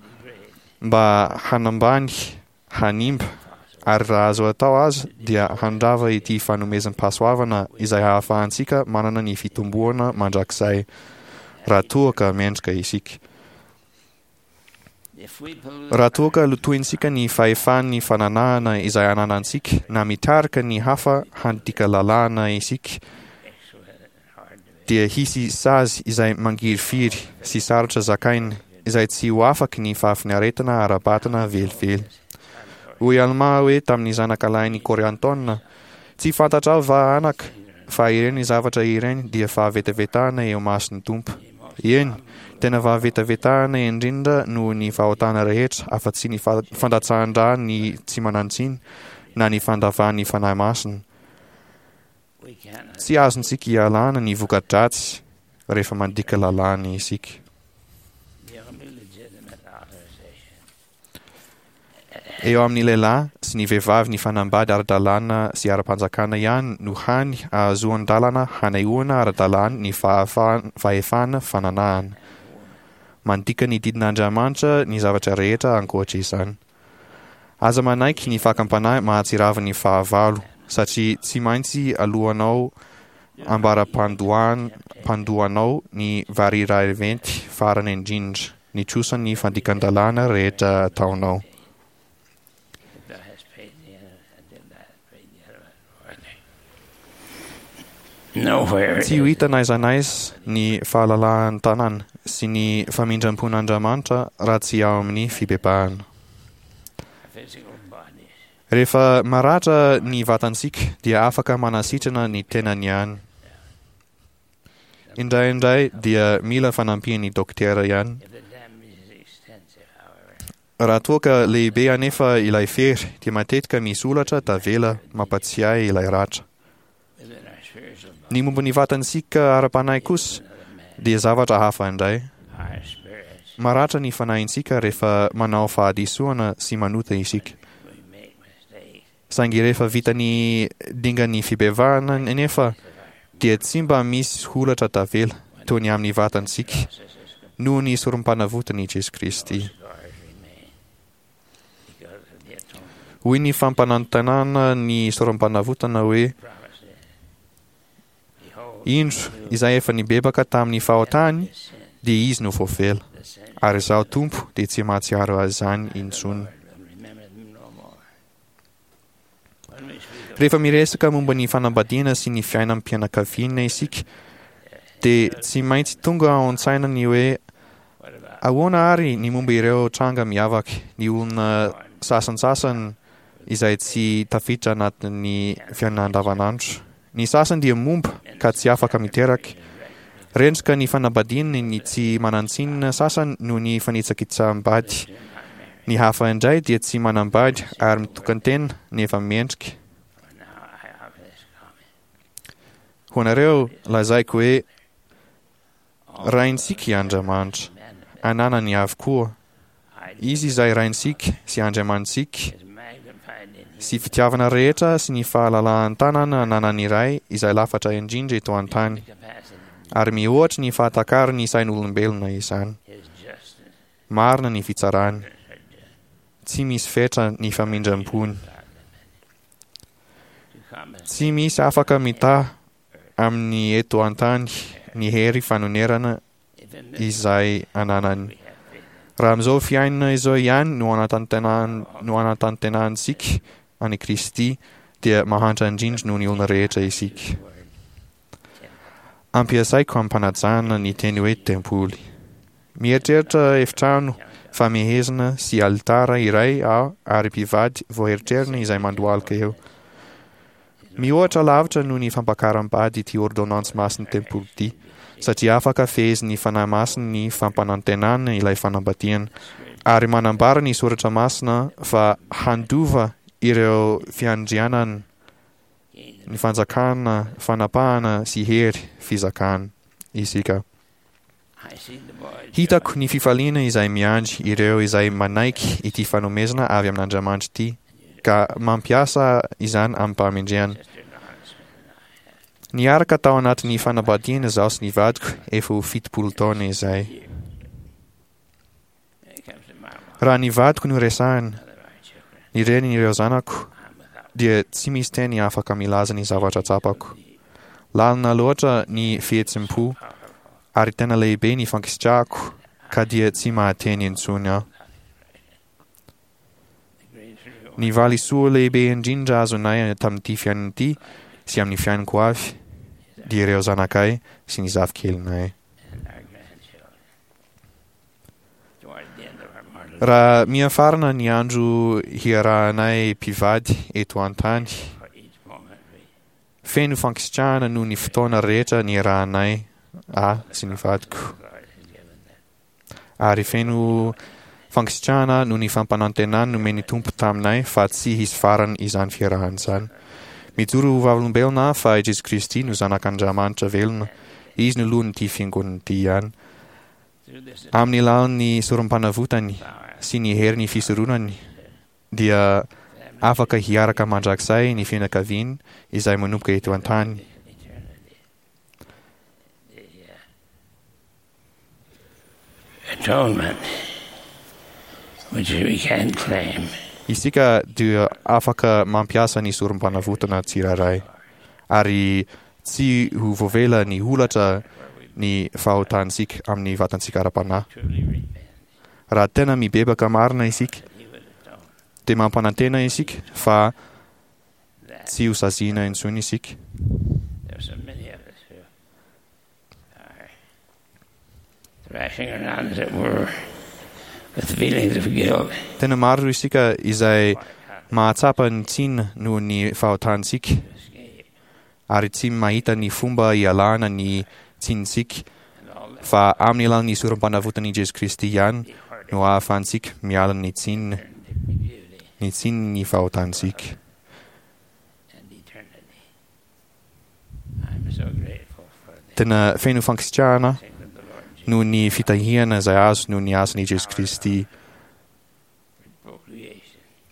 mba hanambany hanimba, ary raha azo atao aza dia handrava ity fanomezam-pahasoavana izay hahafahantsika manana ny fitomboana mandrakizay, raha toa ka mendrika isika. Raha toa ka lotointsika ny fahefan'ny fananahana izay ananantsika na mitarika ny hafa handika lalàna isika, dia hisy sazy izay mangirifiry sy sarotra zakaina izay tsy ho afaky ny fahafinaretana ara-batana velively. Hoy Almà hoe tamin'ny zanakalahin'i Kôriantôna, Tsy fantatrao va, anaka, fa ireny zavatra ireny dia fahavetavetana eo imason'ny Tompo? Eny, tena fahavetavetana indrindra noho ny fahotana rehetra afa-tsy ny fandatsahan-drà ny tsy manan-tsiny na ny fandavan'ny Fanahy Masina. Tsy azontsika ialana ny voka-dratsy rehefa mandika lalàna isika. Eo amin'ny lehilahy sy ny vehivavy nifanambady ara-dalàna sy ara-panjakana ihany no hany ahazoan-dalana hanehoana ara-dalàna ny fahefana fananahana. Mandika ny didin'Andriamanitra ny zavatra rehetra ankoatra izany. Aza manaiky ny fakam-panahy mahatsiravin'ny fahavalo, satria tsy maintsy aloanao ambara-pandohanao ny variraiventy farany indrindra, ny trosan'ny fandikan-dalàna rehetra ataonao. Tsy ho hita n'aiza n'aiza ny fahalalahan-tanana sy ny famindram-pon'Andriamanitra raha tsy ao amin'ny fibebahana. Rehefa maratra ny vatantsika dia afaka manasitrana ny tenany ihany. Indraindray dia mila fanampian'ny dokotera ihany. Raha toa ka lehibe anefa ilay fery dia matetika misy holatra tavela mampatsiahy ilay ratra. Ny momba ny vatantsika ara-panahy kosa dia zavatra hafa indray. Maratra ny fanahintsika rehefa manao fahadisoana sy manota isika. Saingy rehefa vita ny dingan'ny fibebahana anefa dia tsy mba misy holatra tavela toy ny amin'ny vatantsika noho ny sorom-panavotan'i Jesoa Kristy. Hoy ny fampanantenana ny sorom-panavotana hoe, Indro, izay efa nibebaka tamin'ny fahotany, dia izy no voavela, ary Izaho Tompo dia tsy mahatsiaro izany intsony. Rehefa miresaka momba ny fanambadiana sy ny fiainam-pianakaviana isika, dia tsy maintsy tonga ao an-tsaina ny hoe ahoana ary ny momba ireo tranga miavaka, ny olona sasantsasany izay tsy tafiditra anatin'ny fiainana andavanandro. Ny sasany dia momba ka tsy afaka miteraka. Rendrika ny fanambadiany ny tsy manan-tsinina sasany noho ny fanitsakitsaham-bady. Ny hafa indray dia tsy manambady ary mitokan-tena nefa mendrika. Ho anareo, lazaiko hoe Raintsika i Andriamanitra. Ananany avokoa. Izy izay Raintsika sy Andriamanitsika sy fitiavana rehetra sy ny fahalalahan-tanana ananan'ny Ray izay lafatra indrindra eto an-tany. Ary mihoatry ny fahatakaran'ny sain'olombelona izany. Marina ny fitsarany. Tsy misy fetra ny famindram-pony. Tsy misy afaka mitaha amin'ny eto an-tany ny hery fanonerana izay ananany. Raha amin'izao fiainana izao ihany no no anatantenahantsika an'i Kristy dia mahantra indrindra noho ny olona rehetra isika. Ampiasaiko am-panajana ny teny hoe tempoly. Mieritreritra efitrano famehezana sy alitara iray aho ary mpivady vao eritreriny izay mandohalika eo. Mihoatra lavitra noho ny fampakaram-bady ity ôrdônansy masin'ny tempoly ity, satria afaka fehezin'ny Fanahy Masina ny fampanantenana ilay fanambadiana, ary manambara ny soratra masina fa handova ireo fiandrianana. ny fanjakana, fanapahana sy hery fizakana isika. Hitako ny fifaliana izay miandry ireo izay manaiky ity fanomezana avy amin'Andriamanitra ity ka mampiasa izany amim-pahamendrehana. Niaraka tao anatin'ny fanambadiana izaho sy ny vadiko efa ho 70 taona izay. Raha ny vadiko no resahina, ny renin'ireo zanako, dia tsy misy teny afaka milaza ny zavatra tsapako. Lalina loatra ny fihetsem-po ary tena lehibe ny fankasitrahako ka dia tsy mahateny intsony aho. Ny valisoa lehibe indrindra azonay tamin'ity fiainana ity sy amin'ny fiainako avy dia ireo zanakay sy ny zafikelinay. Raha mihafarana ny andro hiarahanay mpivady eto an-tany, feno fankasitrahana noho ny fotoana rehetra niarahanay ahy sy ny vadiko. Ary feno fankasitrahana noho ny fampanantenana nomen'ny Tompo taminay fa tsy hisy farany izany fiarahana izany. Mijoro ho vavolombelona aho fa i Jesoa Kristy no Zanak'Andriamanitra velona. Izy no lohan'ity Fiangonana ity ihany. Amin'ny alalan'ny sorom-panavotany sy ny herin'ny fisoronany dia afaka hiaraka mandrakizay ny fianakaviany izay manomboka eto an-tany. Atonement, which we can claim. Isika dia afaka mampiasa ny sorom-panavotana tsirairay, ary tsy ho voavela ny holatra ny fahotantsika amin'ny vatantsika ara-panahy. Raha tena mibebaka marina isika, dia mampanantena isika fa tsy ho saziana intsony isika. Tena maro isika izay mahatsapa ny tsiny noho ny fahotantsika ary tsy mahita ny fomba hialana ny tsinintsika fa amin'ny alalan'ny sorom-panavotan'i Jesoa Kristy ihany no ahafahantsika miala ny tsiny ny tsinin'ny fahotantsika. Tena feno fankasitrahana aho noho ny fitahiana izay azo noho ny asan'i Jesoa Kristy,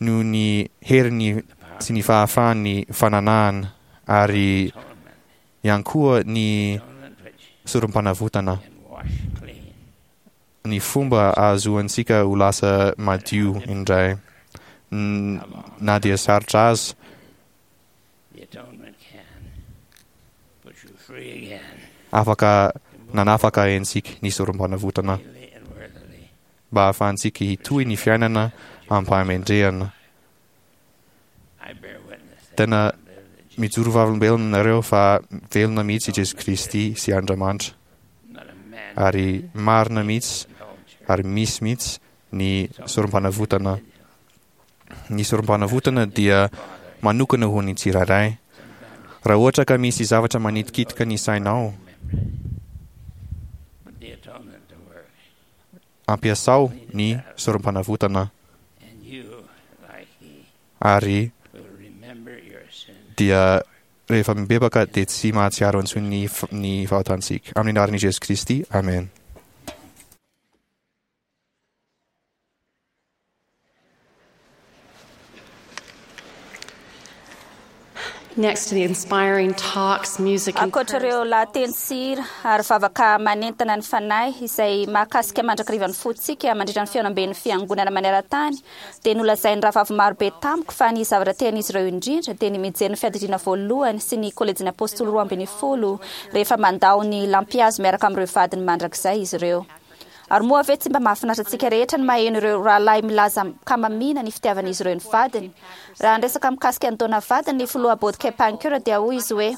noho ny heriny sy ny fahafahan'ny fananahana ary ihany koa ny sorom-panavotana, ny fomba ahazoantsika ho lasa madio indray na dia sarotra aza. Afaka nanafaka antsika ny sorom-panavotana mba hahafahantsika hitohy ny fiainana amim-pahamendrehana. Tena mijoro vavolombelona aminareo fa velona mihitsy i Jesoa Kristy sy Andriamanitra ary marina mihitsy ary misy mihitsy ny sorom-panavotana. Ny sorom-panavotana dia manokana ho ny tsirairay. Raha ohatra ka misy zavatra manitikitika ny sainao, ampiasao ny sorom-panavotana ary dia rehefa mibebaka dia tsy mahatsiaro intsony ny fahotantsika. Amin'ny anaran'i Jesoa Kristy, Amen. Next to the inspiring talks, music and Ankoatra ireo lahateny sy hira ary vavaka manentana ny fanahy izay mahakasika mandrakariva ny fontsika mandritra ny fihaonamben'ny Fiangonana maneran-tany dia nolazain'ny rahavavy maro be tamiko fa ny zavatra tian'izy ireo indrindra dia ny mijery ny Fiadidiana Voalohany sy ny Kolejin'ny Apôstôly 12 rehefa mandao ny lampihazo miaraka amin'ireo vadiny mandrakizay izy ireo. Ary moa ve tsy mba mahafinaritra antsika rehetra ny maheno ireo rahalahy milaza am-kamamiana ny fitiavan'izy ireo ny vadiny? Raha niresaka mikasika an'i Donna vadiny ny filoha Bodke Pancur dia hoy izy hoe,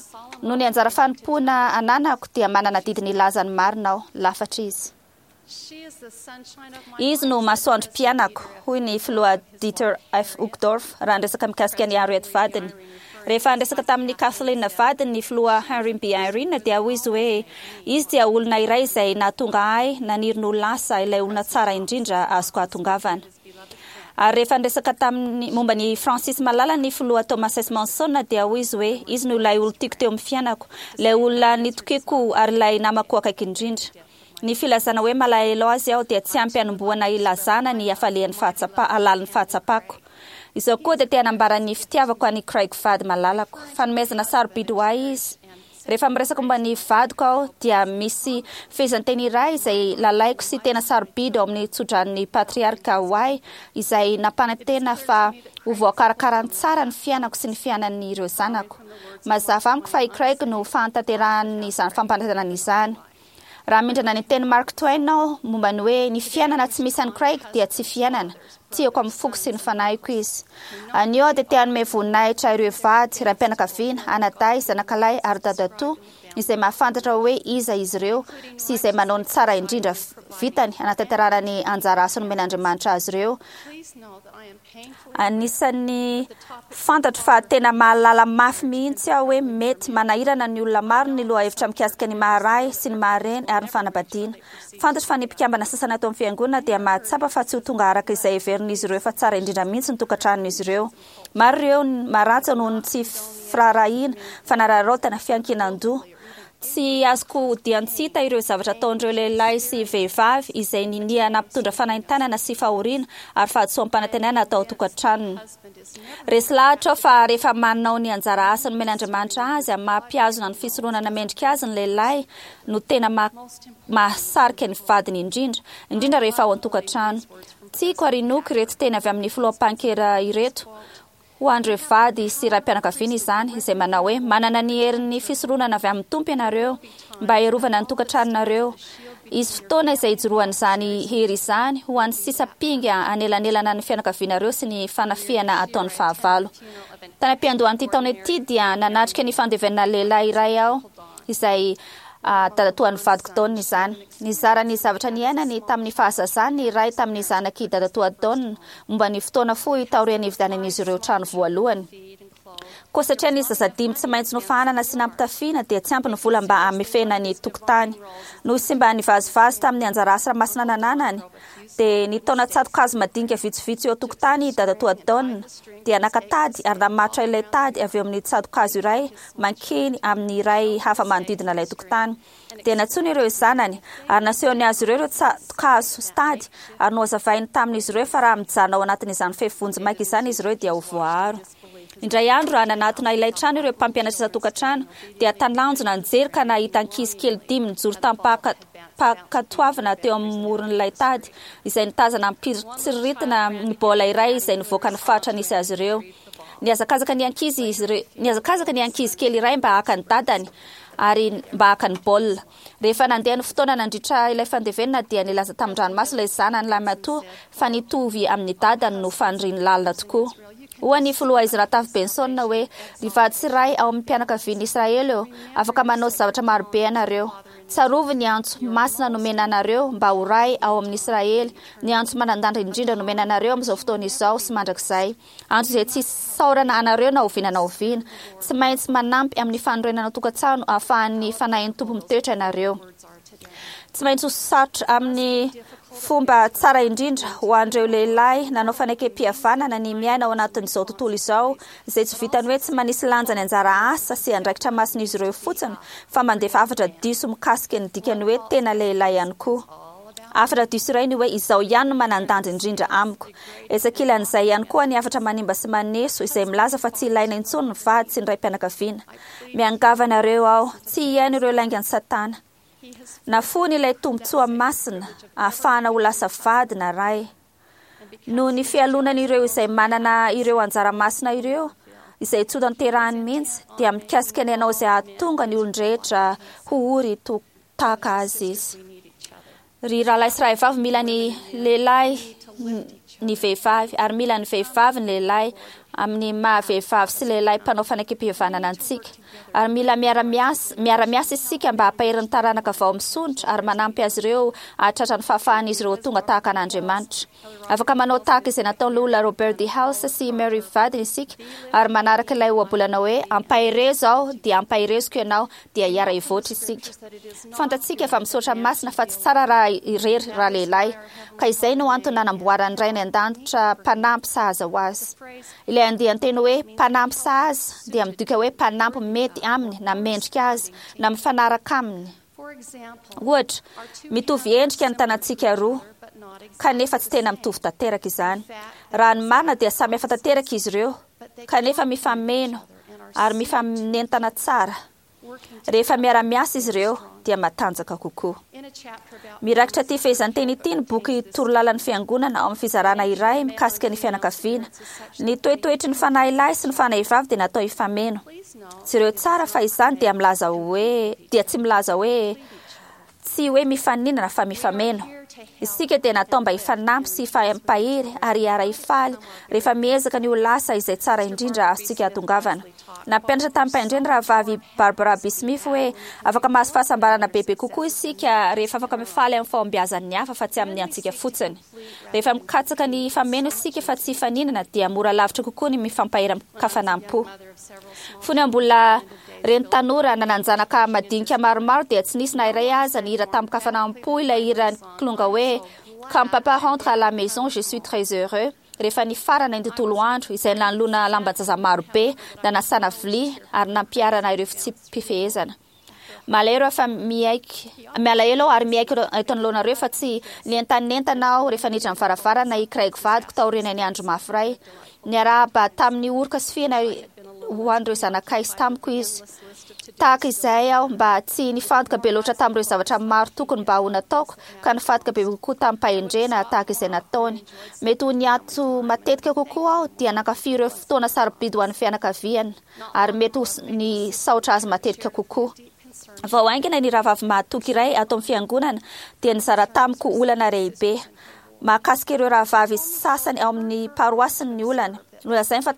Noho ny anjara fanompoana ananako dia manana adidy ny hilaza ny marina aho. Lafatra izy. Izy no masoandrom-piainako, hoy ny filoha Dieter F. Uchtdorf raha niresaka mikasika an'i Harriet vadiny. Rehefa niresaka tamin'i Kathleen vadiny ny filoha Henry B. Eyring dia hoy izy hoe, Izy dia olona iray izay nahatonga ahy naniry ny ho lasa ilay olona tsara indrindra azoko ahatongavana. Ary rehefa niresaka tamin'ny momba an'i Francis malala ny filoha Thomas S. Monson dia hoy izy hoe, Izy no ilay olon-tiako teo amin'ny fiainako, ilay olona nitokiako ary ilay namako akaiky indrindra. Ny filazana hoe malahelo azy aho dia tsy ampy hanombohana hilazana ny hafalian'ny fahatsapa, halalin'ny fahatsapako. Izao koa dia te hanambara ny fitiavako an'i Craig vady malalako. Fanomezana sarobidy ho ahy izy. Rehefa miresaka momba ny vadiko aho dia misy fehezanteny iray izay lalaiko sy tena sarobidy ao amin'ny tsodranon'ny patriarka ho ahy izay nampanantena fa ho voakarakarany tsara ny fiainako sy ny fiainan'ireo zanako. Mazava amiko fa i Craig no fahatanterahan'izany fampanantenana izany. Raha mindrana ny tenin'i Mark Twain aho momba ny hoe ny fiainana tsy misy an'i Craig dia tsy fiainana, tiako amin'ny foko sy ny fanahiko izy. Anio aho dia te hanome voninahitra ireo vady, raim-pianakaviana, anadahy, zanakalahy ary dadatoa izay mahafantatra hoe iza izy ireo sy izay manao ny tsara indrindra vitany hanatanterahana ny anjara asa nomen'Andriamanitra azy ireo. Anisan'ny fantatro fa tena mahalala mafy mihitsy aho hoe mety manahirana ny olona maro ny lohahevitra mikasika ny maha-ray sy ny maha-reny ary ny fanambadiana. Fantatro fa ny mpikambana sasany ato amin'ny Fiangonana dia mahatsapa fa tsy ho tonga araka izay heverin'izy ireo fa tsara indrindra mihitsy ny tokantranon'izy ireo. Maro ireo maratra noho ny tsy firaharahiana, fanararaotana, fiankinan-doha. Tsy azoko odian-tsy hita ireo zavatra ataon'ireo lehilahy sy vehivavy izay ninia nampitondra fanaintainana sy fahoriana ary fahadisoam-panantenana tao an-tokantranony. Resy lahatra aho fa rehefa manao ny anjara asa nomen'Andriamanitra azy amin'ny maha-mpihazona ny fisoronana mendrika azy ny lehilahy no tena mahasarika ny vadiny indrindra, indrindra rehefa ao an-tokantrano. Tiako ary inoako ireto teny avy amin'ny Filoha Pankera ireto, Ho an'ireo vady sy raim-pianakaviana izany, izay manao hoe, Manana ny herin'ny fisoronana avy amin'ny Tompo ianareo mba hiarovana ny tokantranonareo. Hisy fotoana izay hijoroan'izany hery izany ho an'ny sisa mpinga hanelanelana ny fianakavianareo sy ny fanafihana ataon'ny fahavalo. Tany am-piandohan'ity taona ity dia nanatrika ny fandevenana lehilahy iray aho izay dadatoan'ny vadiko Don izany. Nizara ny zavatra niainany tamin'ny fahazazany ny iray tamin'ny zanak'i dadatoa Don momba ny fotoana fohy taorian'ny nividianan'izy ireo trano voalohany. Koa satria nisy zaza dimy tsy maintsy nofahanana sy nampitafiana dia tsy ampy ny vola mba hamefena ny tokotany. Noho sy mba nivazivazy tamin'ny anjara asa masina nananany, dia nitaona tsato-kazo madinika vitsivitsy eo an-tokotany i dadatoa Don, dia naka tady ary namatotra ilay tady avy eo amin'ny tsato-kazo iray mankeny amin'ny iray hafa manodidina ilay tokotany. Dia nantsoiny ireo zanany, ary nasehony azy ireo ireo tsato-kazo sy tady, ary nohazavainy tamin'izy ireo fa raha mijanona ao anatin'izany fefy vonjimaika izany izy ireo dia ho voaaro. Indray andro, raha nanatona ilay trano ireo mpampianatra isan-tokantrano, dia talanjona nijery ka nahita ankizy kely dimy nijoro tamim-pankatoavana teo amin'ny moron'ilay tady, izay nitazana amim-pitsiriritana ny baolina iray izay nivoaka ny faritra nisy azy ireo. Nihazakazaka ny ankizy izy ireo, nihazakazaka ny ankizy kely iray mba haka ny dadany ary mba haka ny baolina. Rehefa nandeha ny fotoana nandritra ilay fandevenana dia nilaza tamin-dranomaso ilay zanany lahimatoa fa nitovy amin'ny dadany no faniriany lalina tokoa. Hoy ny filoha Ezra Taft Benson hoe, Ry vady sy ray ao amin'ny mpianakavian'i Israely ô, afaka manao zavatra marobe ianareo. Tsarovy ny antso masina nomena anareo mba ho ray ao amin'i Israely, ny antso manan-danja indrindra nomena anareo amin'izao fotoana izao sy mandrakizay. Antso izay tsy hisaorana anareo na oviana na oviana. Tsy maintsy manampy amin'ny fanorenana tokantrano ahafahan'ny Fanahin'ny Tompo mitoetra ianareo. Tsy maintsy ho sarotra amin'ny fomba tsara indrindra ho an'ireo lehilahy nanao fanekempihavanana ny miaina ao anatin'izao tontolo izao izay tsy vitan'ny hoe tsy manisy lanja ny anjara asa sy andraikitra masin'izy ireo fotsiny fa mandefa hafatra diso mikasika ny dikan'ny hoe tena lehilahy ihany koa. Hafatra diso iray ny hoe izaho ihany no manan-danja indrindra amiko. Etsy ankilan'izay ihany koa ny hafatra manimba sy maneso izay milaza fa tsy ilaina intsony ny vady sy ny raim-pianakaviana. Miangavy anareo aho tsy hihaino ireo laingan'i Satana. Nafoiny ilay tombontsoa masina ahafahana ho lasa vady na ray. Noho ny fialonan'ireo izay manana ireo anjara masina ireo, izay tsy hotanterahiny mihitsy, dia mikasika ny hanao izay hahatonga ny olon-drehetra ho ory tahaka azy izy. Ry rahalahy sy rahavavy, mila ny lehilahy ny vehivavy, ary mila ny vehivavy ny lehilahy. amin'ny maha vehivavy sy lehilahy mpanao fanekempihavanana antsika. Ary mila miara-miasa miara-miasa isika mba hampahery ny taranaka vao misondrotra ary manampy azy ireo hahatratra ny fahafahan'izy ireo ho tonga tahaka an'Andriamanitra. Afaka manao tahaka izay nataon'ny Loholona Robert D. Hales sy i Mary vadiny isika ary manaraka ilay ohabolana hoe ampaherezo aho dia ampahereziko ianao dia hiara-hivoatra isika. Fantatsika fa misaotra masina fa tsy tsara raha irery ralehilahy, ka izay no antony nanamboaran'ny Ray any An-danitra mpanampy sahaza ho azy. Ilay andian-teny hoe mpanampy sahaza dia midika hoe mpanampy mety aminy na mendrika azy na mifanaraka aminy. Ohatra, mitovy endrika ny tanantsika roa, kanefa tsy tena mitovy tanteraka izany. Raha ny marina dia samy hafa tanteraka izy ireo, kanefa mifameno ary mifanentana tsara. Rehefa miara-miasa izy ireo dia matanjaka kokoa. Mirakitra ity fehezanteny ity ny boky Torolalan'ny Fiangonana ao amin'ny fizarana iray mikasika ny fianakaviana. Ny toetoetry ny fanahy lahy sy ny fanahy vavy dia natao hifameno. Jereo tsara fa izany dia milaza hoe dia tsy milaza hoe tsy hoe mifaninana fa mifameno. Isika dia natao mba hifanampy sy hifampahery ary hiara-hifaly rehefa miezaka ny ho lasa izay tsara indrindra azontsika hahatongavana. Nampianatra tamim-pahendrena Rahavavy Barbara B. Smith hoe afaka mahazo fahasambarana bebe kokoa isika rehefa afaka mifaly amin'ny fahombiazan'ny hafa fa tsy amin'ny antsika fotsiny. Rehefa mikatsaka ny hifameno isika fa tsy hifaninana dia mora lavitra kokoa ny mifampahery amin-kafanam-po. Fony aho mbola reny tanora nanan-janaka madinika maromaro dia tsy nisy na iray aza nihira tamin-kafanam-po ilay hiran'ny kilonga hoe Quand papa rentre à la maison je suis très heureux rehefa nifarana ny tontolo andro izay nanoloana lamban-jaza marobe, nanasana vilia ary nampiharana ireo fitsipi-pifehezana. Malahelo aho fa miaiky, malahelo aho ary miaiky eto anoloanareo fa tsy nientanentana aho rehefa niditra ny varavarana i Craig vadiko taorian'ny andro mafy iray. Niarahaba tamin'ny oroka sy fihina ho an'ireo zanakay sy tamiko izy. Tahaka izay aho mba tsy nifantoka be loatra tamin'ireo zavatra maro tokony mba ho nataoko ka nifantoka bebe kokoa tamim-pahendrena tahaka izay nataony. Mety ho niato matetika kokoa aho dia nankafy ireo fotoana sarobidy ho an'ny fianakaviana. ary mety ho nisaotra azy matetika kokoa. Vao haingana ny rahavavy mahatoky iray ato amin'ny fiangonana dia nizara tamiko olana lehibe. Mahakasika ireo rahavavy sasany ao amin'ny paroasiny ny olany. Nolazainy fa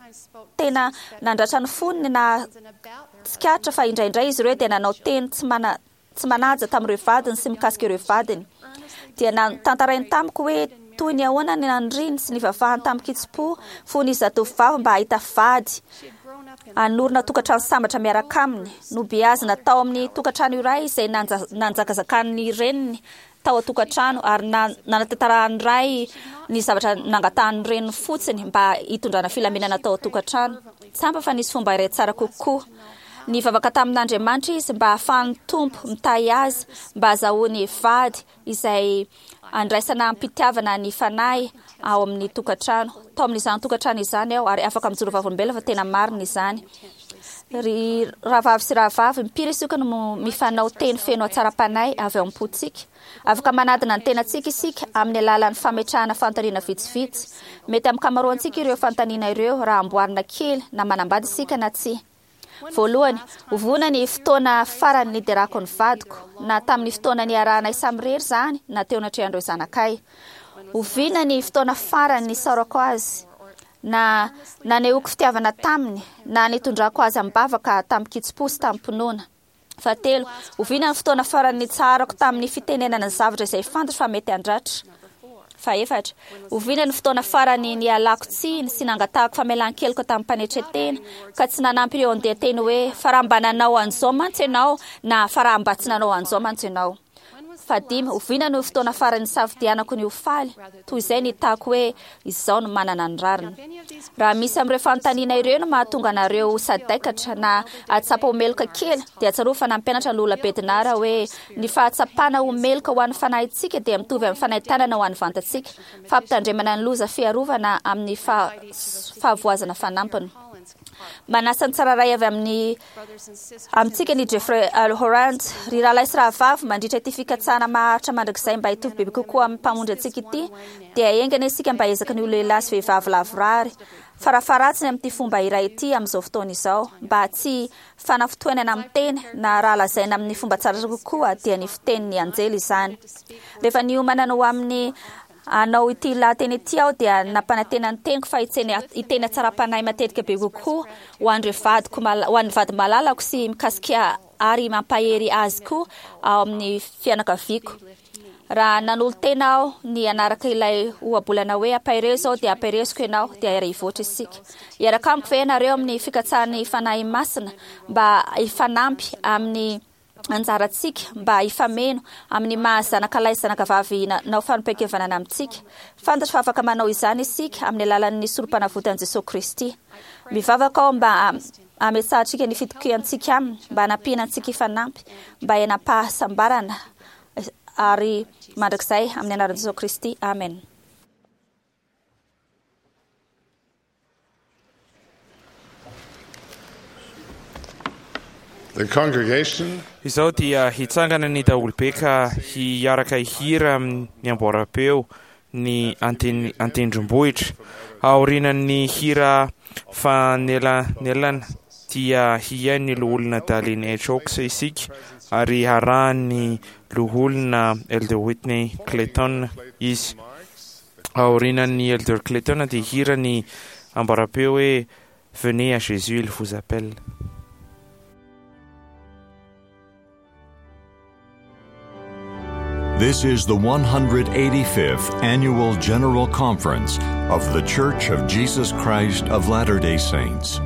tena nandratra ny fony ny nahatsikaritra fa indraindray izy ireo dia nanao teny tsy mana tsy manaja tamin'ireo vadiny sy mikasika ireo vadiny. Dia notantarainy tamiko hoe toy ny ahoana ny naniriany sy nivavahany tamin-kitsim-po fony izy zatovovavy mba hahita vady hanorina tokantrano sambatra miaraka aminy. Nobeazina tao amin'ny tokantrano iray izay nanjakazakan'ny reniny tao an-tokantrano ary nanatantarahan'ny ray ny zavatra nangatahan'ny reniny fotsiny mba hitondrana filaminana tao an-tokantrano. Tsapa fa nisy fomba iray tsara kokoa. Nivavaka tamin'Andriamanitra izy mba hahafahan'ny Tompo mitahy azy mba hazahoany vady izay andraisana am-pitiavana ny fanahy ao amin'ny tokantrano. Tao amin'izany tokantrano izany aho ary afaka mijoro vavolombelona fa tena marina izany. Ry rahavavy sy rahavavy, impiry isika no mifanao teny feno hatsaram-panahy avy ao am-pontsika? Afaka manadina ny tenantsika isika amin'ny alalan'ny fametrahana fanontaniana vitsivitsy. Mety amin'ny ankamaroantsika ireo fanontaniana ireo raha amboarina kely na manambady isika na tsia. Voalohany, oviana ny fotoana farany niderako ny vadiko, na tamin'ny fotoana niarahanay samirery izany na teo anatrehan'ireo zanakay? Oviana ny fotoana farany nisaorako azy, na nanehoako fitiavana taminy, na nitondrako azy amim-bavaka tamin-kitsim-po sy tamim-pinoana? Fahatelo, oviana ny fotoana farany nitsaharako tamin'ny fitenenana ny zavatra izay fantatro fa mety handratra? Fahefatra, oviana ny fotoana farany nialako tsiny sy nangatahako famelan-keloka tamim-panetren-tena, ka tsy nanampy ireo andian-teny hoe fa raha mba nanao an'izao mantsy ianao na fa raha mba tsy nanao an'izao mantsy ianao? Fahadimy, oviana no fotoana farany nisafidianako ny ho faly, toy izay nitako hoe izao no manana ny rariny? Raha misy amin'ireo fanontaniana ireo no mahatonga anareo ho sadaikatra na hahatsapa ho meloka kely, dia tsarovy fa nampianatra Lola Bednar hoe ny fahatsapana ho meloka ho an'ny fanahintsika dia mitovy amin'ny fanaintainana ho an'ny vantantsika, fampitandremana ny loza fiarovana amin'ny fahavoazana fanampiny. Manasa ny tsirairay avy amin'ny amintsika ny Jeffrey L. Holland. Ry rahalahy sy rahavavy, mandritra ity fikatsahana maharitra mandrakizay mba hitovy bebe kokoa amin'ny Mpamonjy antsika ity, dia enga anie isika mba hiezaka ny ho lehilahy sy vehivavy lavorary, farafaharatsiny amin'ity fomba iray ity amin'izao fotoana izao, mba tsy fanafintohinana amin'ny teny, na raha lazaina amin'ny fomba tsara kokoa, dia ny fitenin'ny anjely izany. Rehefa niomana ny ho amin'ny. Hanao ity lahateny ity aho dia nampanantena ny teniko fa hiteny hatsaram-panahy matetika be kokoa ho an'ireo vadiko ho an'ny vady malalako sy mikasika ary mampahery azy koa ao amin'ny fianakaviako. Raha nanolo-tena aho ny hanaraka ilay ohabolana hoe ampaherezo aho dia ampahereziko ianao dia hiara-hivoatra isika. Hiaraka amiko ve ianareo amin'ny fikatsahan'ny Fanahy Masina mba hifanampy amin'ny anjarantsika mba hifameno amin'ny maha zanakalahy sy zanakavavy nanao fanompoan-kevanana amintsika. Fantatro fa afaka manao izany isika amin'ny alalan'ny Sorompanavotan'i Jesoa Kristy. Mivavaka aho mba hametsahantsika ny fitokiantsika Aminy, mba hanampiana antsika hifanampy, mba hiainam-pahasambarana ary mandrakizay amin'ny anaran'i Jesoa Kristy. Amen. The congregation Izao dia hitsangana ny daholobe ka hiaraka hihira amin'ny amboaram-peo ny an-tendrombohitra. Aorianan'ny hira fanelanelana dia hihaino ny Loholona Dallin H. Oaks isika ary harahan'ny Loholona Elder Whitney Clayton izy. Aorianan'ny Elder Clayton dia hihira ny amboaram-peo hoe Venez à Jésus, il vous appelle. This is the 185th Annual General Conference of The Church of Jesus Christ of Latter day Saints.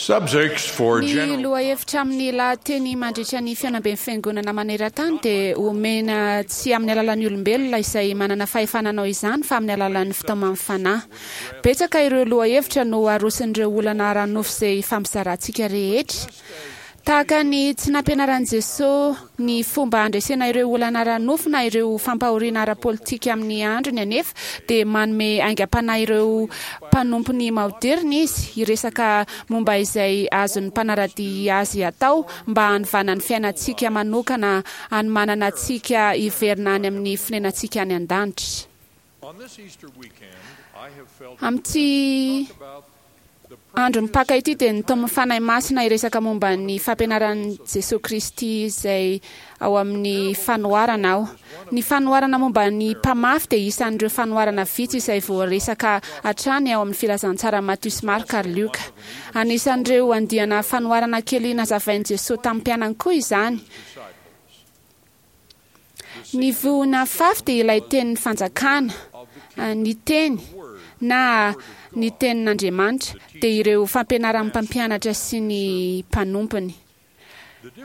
Subjects for Ny general lohahevitra amin'ny lahateny mandritra ny fihaonamben'ny Fiangonana maneran-tany dia omena tsy amin'ny alalan'ny olombelona izay manana fahefana hanao izany fa amin'ny alalan'ny fitaoman'ny Fanahy. Betsaka ireo lohahevitra no aroson'ireo olana ara-nofo izay ifampizarantsika rehetra. Tahaka ny tsy nampianaran'i Jesoa ny fomba handresena ireo olana ara-nofo na ireo fampahoriana ara-politika amin'ny androny anefa, dia manome aingam-panahy ireo mpanompony maoderina izy hiresaka momba izay azon'ny mpanara-dia azy atao mba hanovana ny fiainantsika manokana hanomanana antsika hiverina any amin'ny fonenantsika any an-danitra. Amin'ity. andro mipaka ity dia nitaomin'ny Fanahy Masina hiresaka momba ny fampianaran'i Jesoa Kristy izay ao amin'ny fanoharana aho. Ny fanoharana momba ny mpamafy dia isan'ireo fanoharana vitsy izay voaresaka hatrany ao amin'ny filazantsaran'i Matio sy Marka ary Lioka. Anisan'ireo andiana fanoharana kely nazavain'i Jesoa tamin'ny mpianany koa izany. Ny voa nafafy dia ilay tenin'ny fanjakana, ny teny na ny tenin'Andriamanitra dia ireo fampianaran'ny mpampianatra sy ny mpanompony.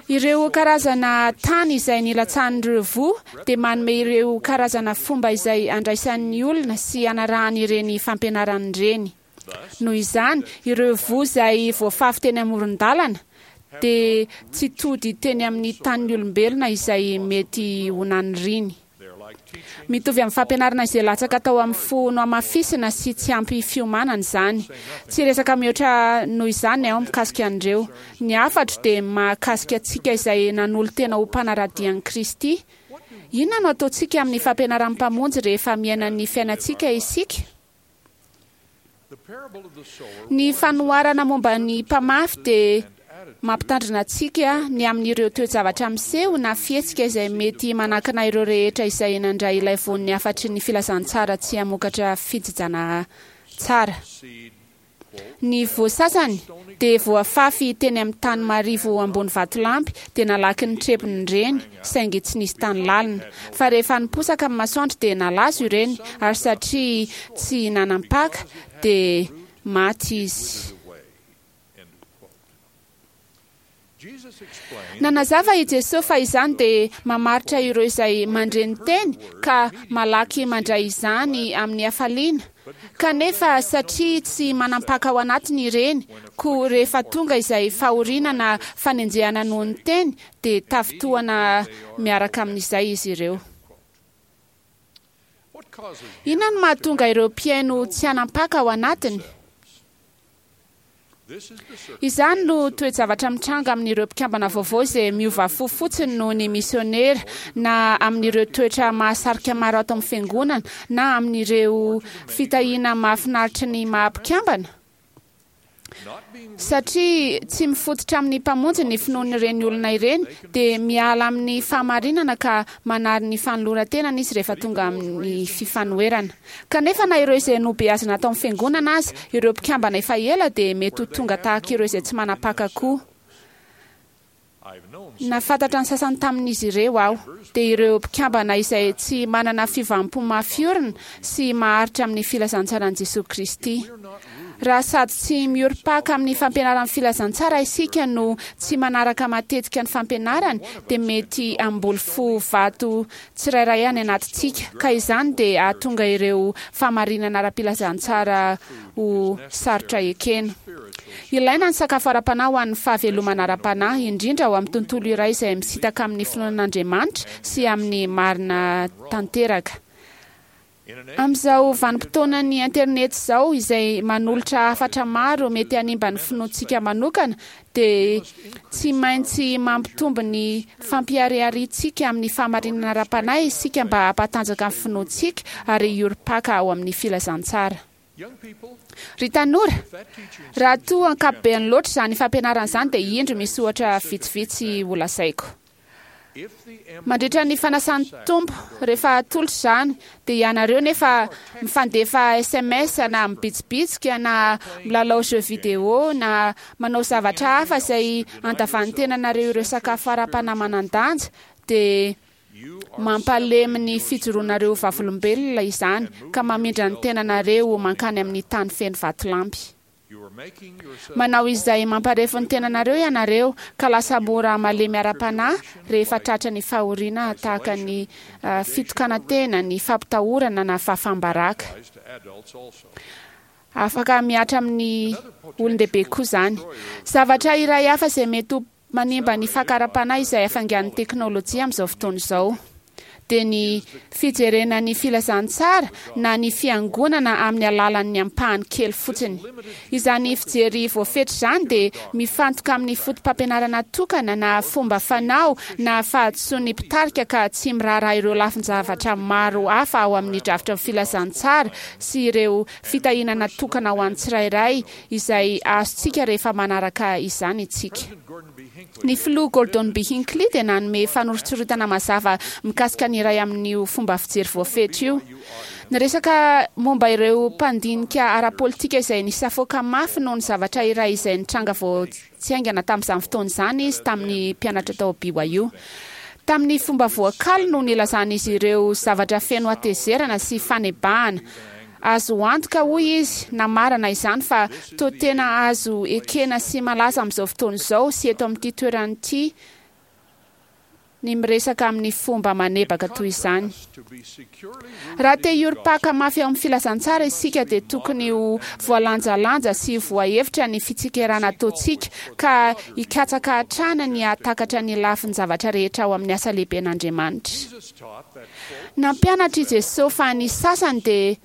Ireo karazana tany izay nilatsahan'ireo voa dia manome ireo karazana fomba izay andraisan'ny olona sy anarahany ireny fampianarana ireny. Noho izany, ireo voa izay voafafy teny amoron-dalana dia tsy tody teny amin'ny tanin'ny olombelona izay mety ho naniriany. Mitovy amin'ny fampianarana izay latsaka tao amin'ny fo nohamafisina sy tsy ampy fiomanana izany. Tsy hiresaka mihoatra noho izany aho mikasika an'ireo. Ny hafatro dia mahakasika antsika izay nanolo-tena ho mpanara-dia an'i Kristy. Inona no ataontsika amin'ny fampianaran'ny Mpamonjy rehefa miaina ny fiainantsika isika? Ny fanoharana momba ny mpamafy dia mampitandrina antsika ny amin'ireo toe-javatra miseho na fihetsika izay mety manakana ireo rehetra izay nandray ilay voan'ny hafatry ny filazantsara tsy hamokatra fijijana tsara. Ny voa sasany dia voafafy teny amin'ny tany marivo ambony vatolampy dia nalaky ny trebony ireny saingy tsy nisy tany lalina. Fa rehefa niposaka ny masoandro dia nalazo ireny ary satria tsy nanam-paka dia maty izy. Nanazava i Jesoa fa izany dia mamaritra ireo izay mandre ny teny ka malaky mandray izany amin'ny hafaliana, kanefa satria tsy manam-paka ao anatiny ireny, koa rehefa tonga izay fahoriana na fanenjehana noho ny teny dia tafintohana miaraka amin'izay izy ireo. Inona no mahatonga ireo mpihaino tsy hanam-paka ao anatiny? Izany no toe-javatra mitranga amin'ireo mpikambana vaovao izay miova fo fotsiny noho ny misionera, na amin'ireo toetra mahasarika maro ato amin'ny Fiangonana, na amin'ireo fitahiana mahafinaritry ny maha-mpikambana. Satria tsy mifototra amin'ny Mpamonjy ny finoan'ireny olona ireny, dia miala amin'ny fahamarinana ka manary ny fanoloran-tenany izy rehefa tonga amin'ny fifanoherana. Kanefa na ireo izay nobeazina tao amin'ny Fiangonana aza, ireo mpikambana efa ela dia mety ho tonga tahaka ireo izay tsy manam-paka koa. Nahafantatra ny sasany tamin'izy ireo aho, dia ireo mpikambana izay tsy manana fiovam-po mafy orina sy maharitra amin'ny filazantsaran'i Jesoa Kristy. Raha sady tsy miorim-paka amin'ny fampianaran'ny filazantsara isika no tsy manaraka matetika ny fampianarany, dia mety hamboly fo vato tsirairay any anatintsika, ka izany dia hahatonga ireo fahamarinana ara-pilazantsara ho sarotra ekena. Ilaina ny sakafo ara-panahy ho an'ny fahavelomana ara-panahy, indrindra ao amin'ny tontolo iray izay misintaka amin'ny finoana an'Andriamanitra sy amin'ny marina tanteraka. Amin'izao vanim-potoanan'ny internet izao, izay manolotra hafatra maro mety hanimba ny finoantsika manokana, dia tsy maintsy mampitombo ny fampiharihariantsika amin'ny fahamarinana ara-panahy isika mba hampatanjaka ny finoantsika ary hiorim-paka ao amin'ny filazantsara. Ry tanora, raha toa ankapobeany loatra izany fampianarana izany dia indro misy ohatra vitsivitsy holazaiko. Mandritra ny fanasan'ny Tompo, rehefa atolotra izany, dia ianareo nefa mifandefa sms na mibitsibitsika na milalao jeux vidéo na manao zavatra hafa izay andavan'ny tenanareo ireo sakafo ara-panahy manan-danja, dia mampalemy ny fijoroanareo ho vavolombelona izany ka mamindra ny tenanareo mankany amin'ny tany feno vatolampy. Manao izay mamparefo ny tenanareo ianareo, ka lasa mora malemy ara-panahy rehefa tratra ny fahoriana tahaka ny fitokanan-tena, ny fampitahorana na fahafaham-baraka. Afaka mihatra amin'ny olon-dehibe koa izany. Zavatra iray hafa izay mety ho Manimba ny faka ara-panahy izay hafainganin'ny teknolojia amin'izao fotoana izao. dia ny fijerena ny filazantsara na ny fiangonana amin'ny alalan'ny ampahany kely fotsiny. Izany fijery voafetra izany dia mifantoka amin'ny fotopampianarana tokana na fomba fanao na fahadisoan'ny mpitarika ka tsy miraharaha ireo lafin-javatra maro hafa ao amin'ny drafitry ny filazantsara sy ireo fitahiana natokana ho an'ny tsirairay izay azontsika rehefa manaraka izany isika. Ny Filoha Gordon B. Hinckley dia nanome fanoritsoritana mazava mikasika ny iray amin'io fomba fijery voafetra io. Niresaka momba ireo mpandinika ara-politika izay nisafoaka mafy noho ny zavatra iray izay nitranga vao tsy haingana tamin'izany fotoana izany izy tamin'ny mpianatra tao BYU. Tamin'ny fomba voakaly no nilazan'izy ireo zavatra feno hatezerana sy fanebahana. Azo antoka, hoy izy, namarana izany fa toa tena azo ekena sy malaza amin'izao fotoana izao sy eto amin'ity toerana ity ny miresaka amin'ny fomba manebaka toy izany. Raha te hiorim-paka mafy ao amin'ny filazantsara isika dia tokony ho voalanjalanja sy voahevitra ny fitsikerana ataontsika ka hikatsaka hatrany ny hahatakatra ny lafin-javatra rehetra ao amin'ny asa lehiben'Andriamanitra. Nampianatra i Jesosy fa ny sasany dia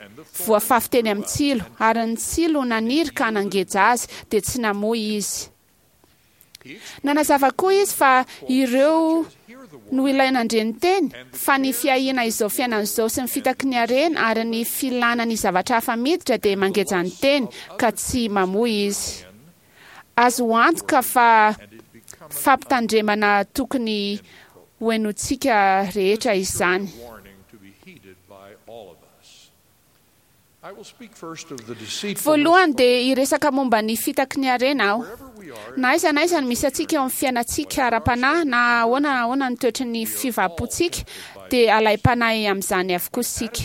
voafafy teny amin'ny tsilo, ary ny tsilo naniry ka nangeja azy, dia tsy namoy izy. Nanazava koa izy fa ireo no ilay nandre ny teny, fa ny fiahiana izao fiainana izao sy ny fitaky ny harena ary ny filana ny zavatra hafa miditra dia mangeja ny teny, ka tsy mamoy izy. Azo antoka fa fampitandremana tokony hohenointsika rehetra izany. Voalohany dia hiresaka momba ny fitaky ny harena aho. Na aiza na aiza no misy antsika eo amin'ny fiainantsika ara-panahy, na ahoana na ahoana ny toetry ny fiovam-pontsika, dia alaim-panahy amin'izany avokoa isika.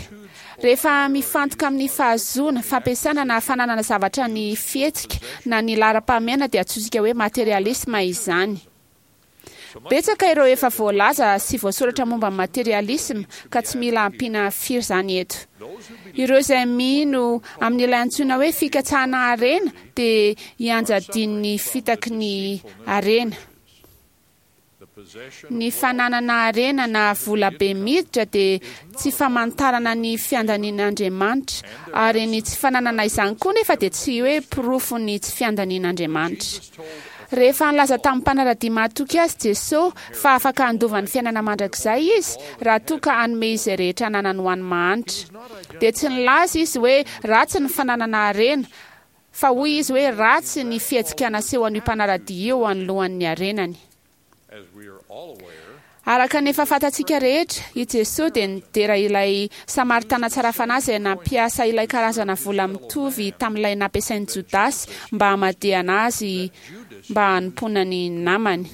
Rehefa mifantoka amin'ny fahazoana, fampiasana na fananana zavatra ny fihetsika na ny laharam-pahamehana dia antsointsika hoe materialisma izany. Betsaka ireo efa voalaza sy voasoratra momba ny materialisma ka tsy mila ampiana firy izany eto. Ireo izay mino amin'ilay antsoina hoe fikatsahana harena dia ianjadian'ny fitaky ny harena. Ny fananana harena na vola be miditra dia tsy famantarana ny fiandanian'Andriamanitra, ary ny tsy fananana izany koa nefa dia tsy hoe porofon'ny tsy fiandanian'Andriamanitra. Rehefa nilaza tamin'ny mpanara-dia mahatoky azy Jesoa fa afaka handova ny fiainana mandrakizay izy raha toa ka hanome izay rehetra ananany ho an'ny mahantra, dia tsy nilaza izy hoe ratsy ny fananana harena, Fa hoy izy hoe ratsy ny fihetsika nasehon'io mpanara-dia io anoloan'ny harenany. Araka ny efa fantatsika rehetra, i Jesoa dia nidera ilay Samaritana tsara fanahy izay nampiasa ilay karazana vola mitovy tamin'ilay nampiasain'i Jodasy mba hamadihana azy mba hanompoana ny namany.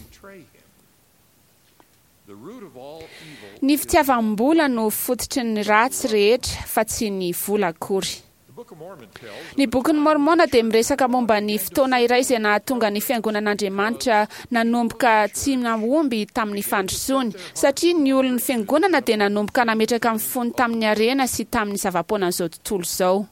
Ny fitiavam-bola no fototry ny ratsy rehetra fa tsy ny vola akory. Ny Bokin'i Môrmôna dia miresaka momba ny fotoana iray izay nahatonga ny Fiangonan'Andriamanitra nanomboka tsy nahomby tamin'ny fandrosoany, satria ny olon'ny Fiangonana dia nanomboka nametraka ny fony tamin'ny harena sy tamin'ny zava-poanan'izao tontolo izao.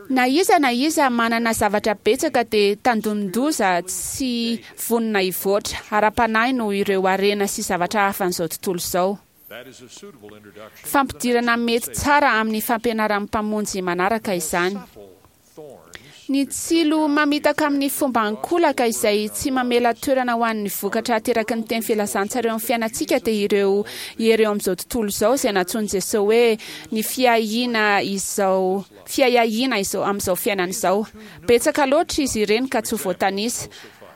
Na iza na iza manana zavatra betsaka dia tandindon-doza tsy vonona hivoatra ara-panahy noho ireo harena sy zavatra hafan'izao tontolo izao. Fampidirana mety tsara amin'ny fampianaran'ny Mpamonjy manaraka izany. Ny tsilo mamitaka amin'ny fomba ankolaka izay tsy mamela toerana ho an'ny vokatra ateraky ny teny filazantsara eo amin'ny fiainantsika dia ireo hery eo amin'izao tontolo izao izay nantsoin'i Jesoa hoe ny fiahiana izao fiahiahiana izao amin'izao fiainana izao. Betsaka loatra izy ireny ka tsy ho voatanisa.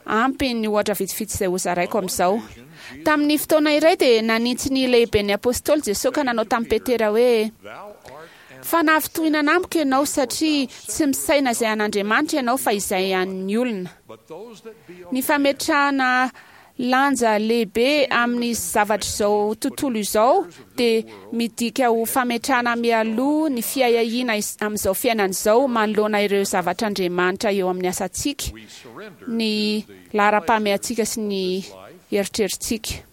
Ampy ny ohatra vitsivitsy izay hozaraiko amin'izao. Tamin'ny fotoana iray dia nanintsy ny lehiben'ny Apostoly Jesoa ka nanao tamin'i Petera hoe, Fa nahafintohinana amiko ianao satria tsy misaina izay an'Andriamanitra ianao fa izay an'ny olona. Ny fametrahana lanja lehibe amin'ny zavatr'izao tontolo izao dia midika ho fametrahana mialoha ny fiahiahiana amin'izao fiainana izao manoloana ireo zavatr'Andriamanitra eo amin'ny asantsika, ny laharam-pahamehantsika sy ny eritreritsika.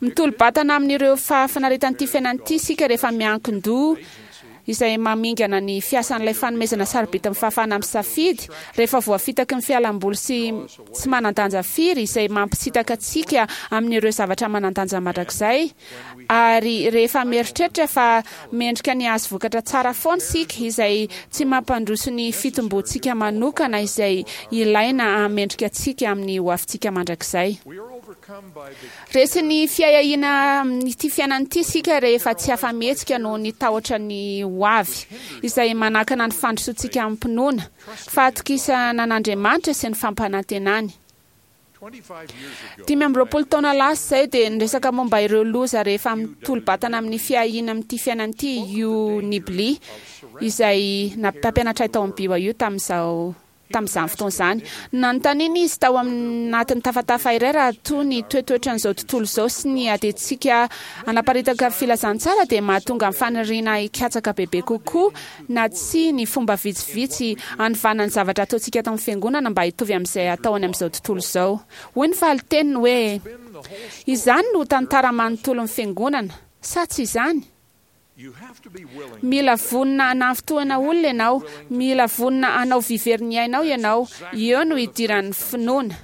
Mitolo-batana amin'ireo fahafinaretan'ity fiainana ity isika rehefa miankin-doha izay mamingana ny fiasan'ilay fanomezana sarobidy amin'ny fahafahana misafidy, rehefa voafitaky ny fialamboly sy tsy manan-danja firy izay mampisintaka antsika amin'ireo zavatra manan-danja mandrakizay, ary rehefa mieritreritra fa mendrika ny hahazo vokatra tsara foana isika izay tsy mampandroso ny fitomboantsika manokana izay ilaina hahamendrika antsika amin'ny hoavintsika mandrakizay. Resin'ny fiahiahiana amin'ity fiainana ity isika rehefa tsy afa-mihetsika noho ny tahotra ny ho avy, izay manakana ny fandrosoantsika amim-pinoana, fahatokisana an'Andriamanitra sy ny fampanantenany. 25 taona lasa izay dia niresaka momba ireo loza rehefa mitolo-batana amin'ny fiahiana amin'ity fiainana ity i Hugh Nibley, izay mpampianatra ahy tao amin'ny BYU tamin'izao tamin'izany fotoana izany. Nanontaniana izy tao anatin'ny tafatafa iray raha toa ny toetoetran'izao tontolo izao sy ny adintsika hanaparitaka filazantsara dia mahatonga ny faniriana hikatsaka bebe kokoa na tsia ny fomba vitsivitsy hanovana ny zavatra ataontsika ato amin'ny Fiangonana mba hitovy amin'izay atao any amin'izao tontolo izao. Hoy ny valin-teniny hoe, Izany no tantara manontolon'ny Fiangonana, sa tsy izany? Mila vonona hanafintohina olona ianao, mila vonona hanao vivery ny ainao ianao, eo no idiran'ny finoana.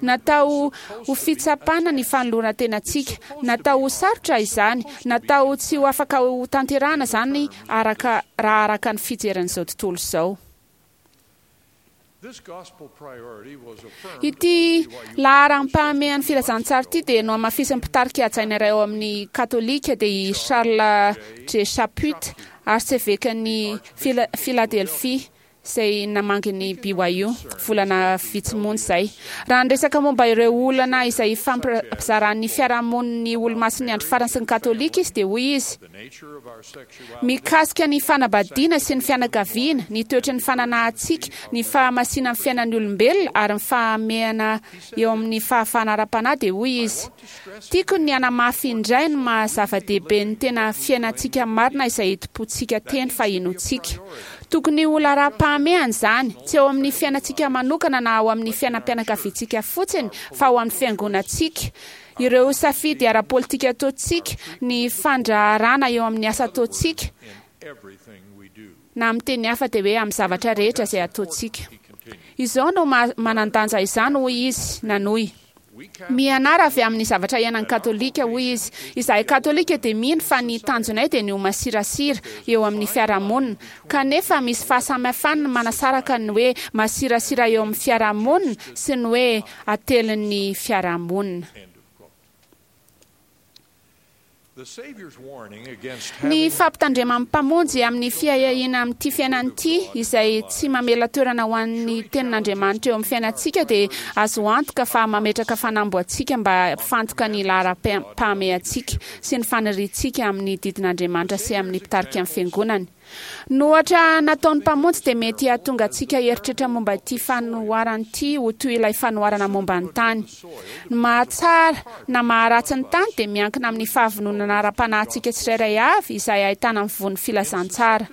Natao ho fitsapana ny fanoloran-tenantsika, natao ho sarotra izany, natao tsy ho afaka ho tanterahana izany araka raha araka ny fijerin'izao tontolo izao. Ity laharam-pahamehan'ny filazantsara ity dia nohamafisin'ny mpitarika hajaina iray ao amin'ny Katolika, dia i Charles J. Chaput, arsevekan'i Philadelphie, izay namangy ny BYU, volana vitsy monja izay. Raha niresaka momba ireo olana izay ifampizaran'ny fiarahamonin'ny Olomasin'ny Andro Farany sy ny Katolika izy, dia hoy izy, Mikasika ny fanambadiana sy ny fianakaviana, ny toetry ny fananahantsika, ny fahamasinan'ny fiainan'ny olombelona ary ny fahamehana eo amin'ny fahafahana ara-panahy dia hoy izy, Tiako ny hanamafy indray ny maha zava-dehibe ny tena fiainantsika marina izay itompoantsika teny fa inoantsika. Tokony ho laharam-pahamehana izany, tsy eo amin'ny fiainantsika manokana na ao amin'ny fiainam-pianakaviantsika fotsiny fa ao amin'ny fiangonantsika, Ireo safidy ara-politika ataontsika, ny fandraharana eo amin'ny asa ataontsika, na amin'ny teny hafa dia hoe amin'ny zavatra rehetra izay ataontsika. Izao no manan-danja izany, hoy izy nanohy. Mianara avy amin'ny zavatra iainan'ny Katolika, hoy izy. Izahay Katolika dia mino fa ny tanjonay dia ny ho masirasira eo amin'ny fiarahamonina. Kanefa misy fahasamihafany ny manasaraka ny hoe masirasira eo amin'ny fiarahamonina sy ny hoe atelin'ny fiarahamonina. Ny fampitandreman'ny Mpamonjy amin'ny fiahiahiana amin'ity fiainana ity, izay tsy mamela toerana ho an'ny Tenin'Andriamanitra eo amin'ny fiainantsika, dia azo antoka fa mametraka fanamby ho antsika mba hampifantoka ny laharam-pahamehantsika sy ny faniriantsika amin'ny didin'Andriamanitra sy amin'ny mpitarika ny Fiangonany. Ny ohatra nataon'ny Mpamonjy dia mety hahatonga antsika hieritreritra momba ity fanoharana ity ho toy ilay fanoharana momba ny tany. Ny mahatsara na maharatsy ny tany dia miankina amin'ny fahavononana ara-panahintsika tsirairay avy izay ahitana ny voan'ny filazantsara.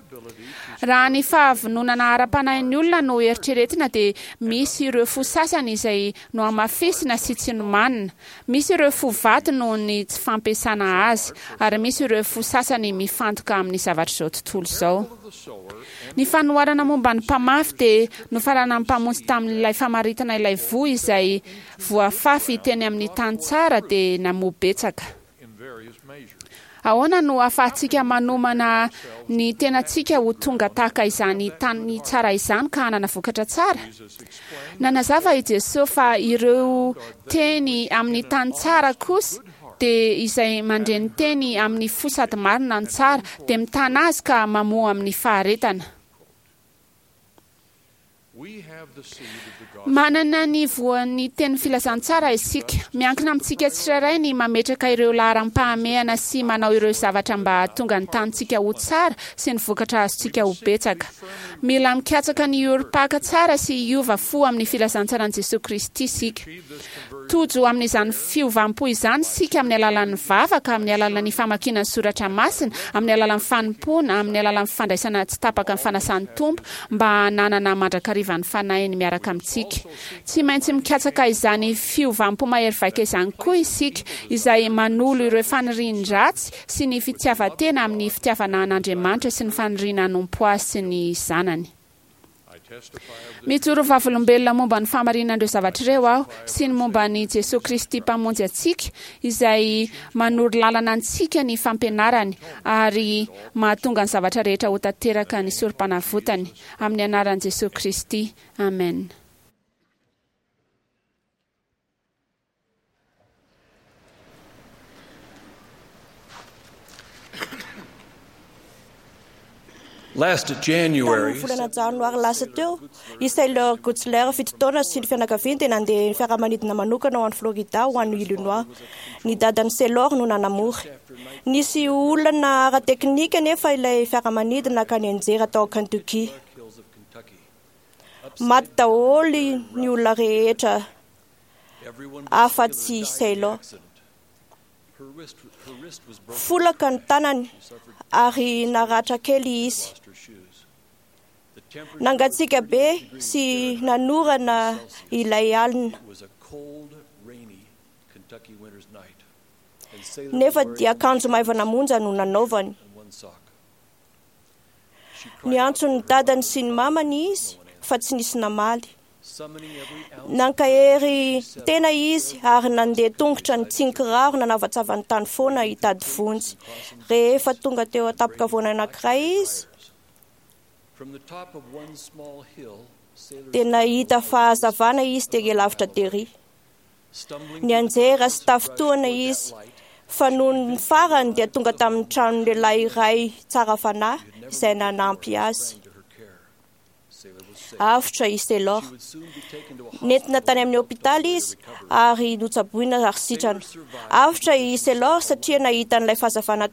Raha ny fahavononana ara-panahin'ny olona no eritreretina dia misy ireo fo sasany izay nohamafisina sy tsy nomanina, Misy ireo fo vato noho ny tsy fampiasana azy, ary misy ireo fo sasany mifantoka amin'ny zavatr'izao tontolo izao. Ny fanoharana momba ny mpamafy dia nofaranan'ny Mpamonjy tamin'ilay famaritana ilay voa izay voafafy teny amin'ny tany tsara dia namoa betsaka. Ahoana no ahafahantsika manomana ny tenantsika ho tonga tahaka izany tany tsara izany ka hanana vokatra tsara? Nanazava i Jesoa fa ireo teny amin'ny tany tsara kosa dia izay mandre ny teny amin'ny fo sady marina ny tsara, dia mitana azy ka mamoa amin'ny faharetana. Manana ny voan'ny tenin'ny filazantsara isika. Miankina amintsika tsirairay ny mametraka ireo laharam-pahamehana sy manao ireo zavatra mba hahatonga ny tanintsika ho tsara sy ny vokatra azontsika ho betsaka. Mila mikatsaka ny hiorim-paka tsara sy hiova fo amin'ny filazantsaran'i Jesoa Kristy isika. Tojo amin'izany fiovam-po izany isika amin'ny alalan'ny vavaka, amin'ny alalan'ny famakiana ny soratra masina, amin'ny alalan'ny fanompoana, amin'ny alalan'ny fandraisana tsy tapaka ny fanasan'ny Tompo mba hananana mandrakariva ny Fanahiny miaraka amintsika. Tsy maintsy mikatsaka izany fiovam-po mahery vaika izany koa isika, izay manolo ireo fanirian-dratsy sy ny fitiavan-tena amin'ny fitiavana an'Andriamanitra sy ny faniriana hanompo Azy sy ny Zanany. Mijoro vavolombelona momba ny fahamarinan'ireo zavatra ireo aho, sy ny momba an'i Jesoa Kristy Mpamonjy antsika, izay manoro lalana antsika ny fampianarany ary mahatonga ny zavatra rehetra ho tanteraka ny Sorompanavotany. Amin'ny anaran'i Jesoa Kristy, amena. Tamin'ny volana janoary lasa teo, i Sailor Gutzler, 7 taona, sy ny fianakaviany dia nandeha fiaramanidina manokana ho any Florida ho any Illinois. Ny dadan'i Sailor no nanamory. Nisy olana ara-teknika anefa ilay fiaramanidina ka nianjera tao Kentucky. Maty daholo ny olona rehetra afa-tsy i Sailor. Folaka ny tanany ary naratra kely izy. Nangatsiaka be sy nanorana ilay alina. Nefa dia akanjo maivana monja no nanaovany. Niantso ny dadany sy ny mamany izy fa tsy nisy namaly. Nankahery tena izy ary nandeha tongotra nitsinkiraro nanavatsava ny tany foana hitady vonjy. Rehefa tonga teo an-tampon-kavoana anankiray izy dia nahita fahazavana izy tery lavitra tery. Nianjera sy tafintohina izy, fa noho ny farany dia tonga tamin'ny tranon'ny lehilahy iray tsara fanahy izay nanampy azy. Avotra i Sailor. Nentina tany amin'ny hopitaly izy ary notsaboina ary sitrana. Avotra i Sailor satria nahita an'ilay fahazavana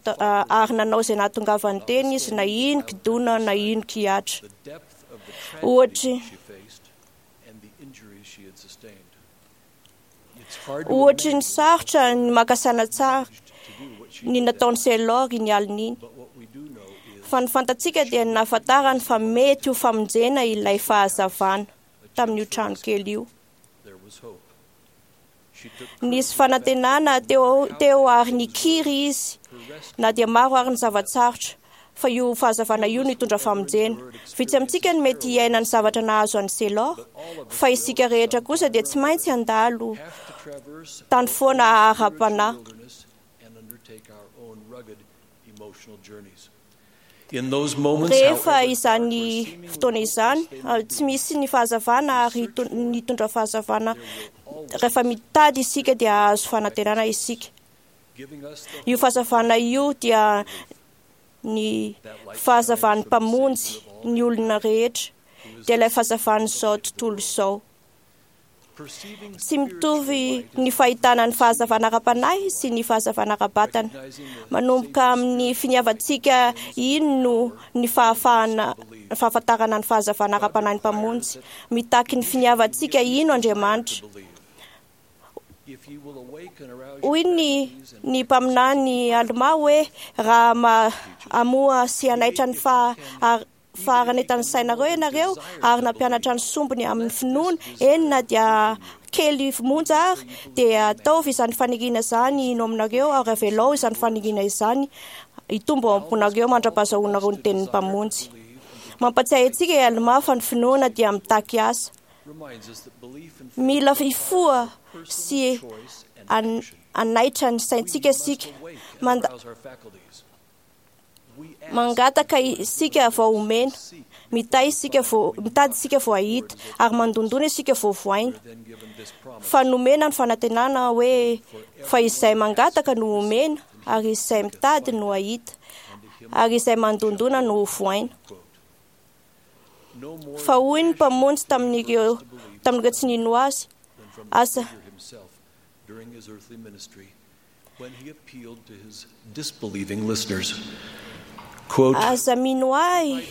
ary nanao izay nahatongavany teny izy na ino kidona na ino kihatra. Ohatry Ohatry ny sarotra ny maka saina tsara ny nataon'i Sailor iny alina iny. Fa ny fantatsika dia ny nahafantarany fa mety ho famonjena ilay fahazavana tamin'io trano kely io. Nisy fanantenana teo ary nikiry izy na dia maro ary ny zava-tsarotra fa io fahazavana io no hitondra famonjena. Vitsy amintsika no mety hiaina ny zavatra nahazo an'i Sailor, fa isika rehetra kosa dia tsy maintsy handalo tany foana ara-panahy. Rehefa izany fotoana izany, tsy misy ny fahazavana ary nitondra fahazavana. Rehefa mitady isika dia hahazo fanantenana isika. Io fahazavana io dia ny fahazavan'ny Mpamonjy ny olona rehetra, dia ilay fahazavan'izao tontolo izao. Tsy mitovy ny fahitana ny fahazavana ara-panahy sy ny fahazavana ara-batana. Manomboka amin'ny finiavantsika ino ny fahafahana fahafantarana ny fahazavana ara-panahy ny Mpamonjy. Mitaky ny finiavantsika ino Andriamanitra. Hoy ny ny mpaminany Almà hoe raha hamoha sy hanaitra ny faharanentan'ny sainareo ianareo ary nampianatra ny sombiny amin'ny finoana, eny na dia kely monja ary, dia ataovy izany faniriana izany hino aminareo ary avelao izany faniriana izany hitombo ao am-ponareo mandra-pahazahoanareo ny tenin'ny Mpamonjy. Mampatsiahy antsika i Almà fa ny finoana dia mitaky asa. Mila hifoha sy hanaitra ny saintsika isika. Mangataka isika vao omena, mitahy isika vao mitady isika vao hahita, ary mandondona isika vao vohaina. Fa nomena ny fanantenana hoe fa izay mangataka no omena, ary izay mitady no hahita, ary izay mandondona no vohaina. Fa hoy ny Mpamonjy tamin'ireo tamin'ireo tsy nino azy, aza Aza mino ahy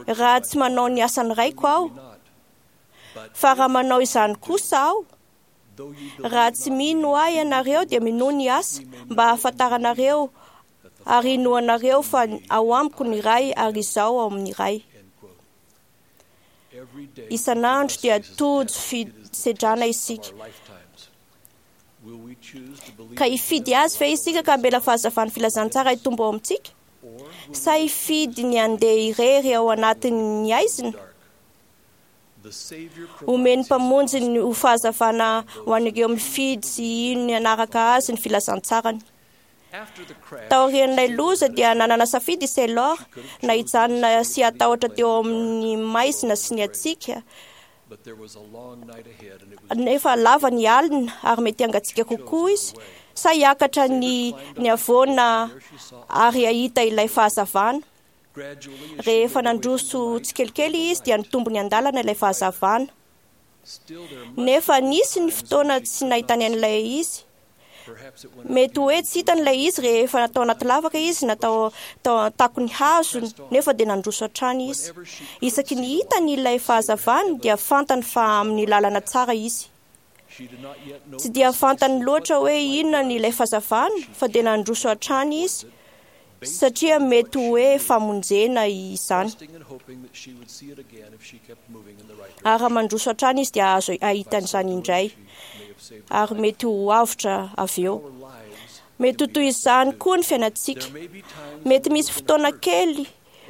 raha tsy manao ny asan'ny Raiko aho, fa raha manao izany kosa aho, Raha tsy mino ahy ianareo dia minoa ny asa mba hahafantaranareo ary inoanareo fa ao amiko ny Ray ary izaho ao amin'ny Ray. Isan'andro dia tojo fisedrana isika. Ka hifidy azy ve isika ka hamela fahazavan'ny filazantsara hitombo ao amintsika? Sa hifidy ny handeha irery ao anatin'ny haizina? Omen'ny Mpamonjy ny ho fahazavana ho an'ireo mifidy sy hino ny hanaraka azy ny filazantsarany. Taorian'ilay loza dia nanana safidy i Sailor na hijanona sy hatahotra teo amin'ny maizina sy ny hatsiaka, nefa lava ny alina ary mety hangatsiaka kokoa izy, sa hiakatra ny ny havoana ary hahita ilay fahazavana. Rehefa nandroso tsikelikely izy dia nitombo ny andalana ilay fahazavana. Nefa nisy ny fotoana tsy nahitany an'ilay izy. Mety hoe tsy hitany ilay izy rehefa natao anaty lavaka izy na tao tao an-takon'ny hazo, nefa dia nandroso hatrany izy. Isaky ny hitany ilay fahazavana dia fantany fa amin'ny lalana tsara izy. Tsy dia fantany loatra hoe inona ny ilay fahazavana fa dia nandroso hatrany izy satria mety hoe famonjena izany. Ary raha mandroso hatrany izy dia azo hahita an'izany indray ary mety ho avotra avy eo. Mety ho toy izany koa ny fiainantsika. Mety misy fotoana kely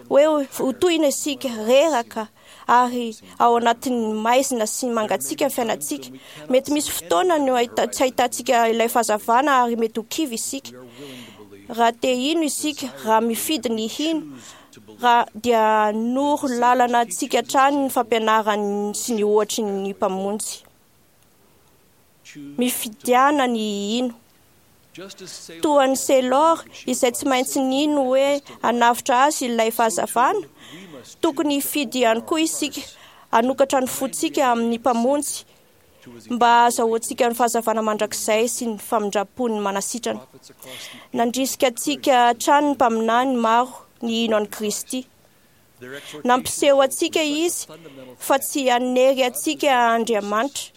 hoe ho tohina isika, reraka ary ao anatin'ny maizina sy mangatsiaka ny fiainantsika. Mety misy fotoana no tsy ahitantsika ilay fahazavana ary mety ho kivy isika. Raha te hino isika, raha mifidy ny hino, raha dia hanoro lalana antsika hatrany ny fampianarany sy ny ohatry ny Mpamonjy. Mifidiana ny hino. Toa an'i Sailor, izay tsy maintsy nino hoe hanavotra azy ilay fahazavana, tokony hifidy ihany koa isika hanokatra ny fontsika amin'ny Mpamonjy mba hahazahoantsika ny fahazavana mandrakizay sy ny famindram-pony manasitrana. Nandrisika antsika hatrany ny mpaminany maro ny hino an'i Kristy. Nampiseho antsika izy fa tsy hanery antsika Andriamanitra,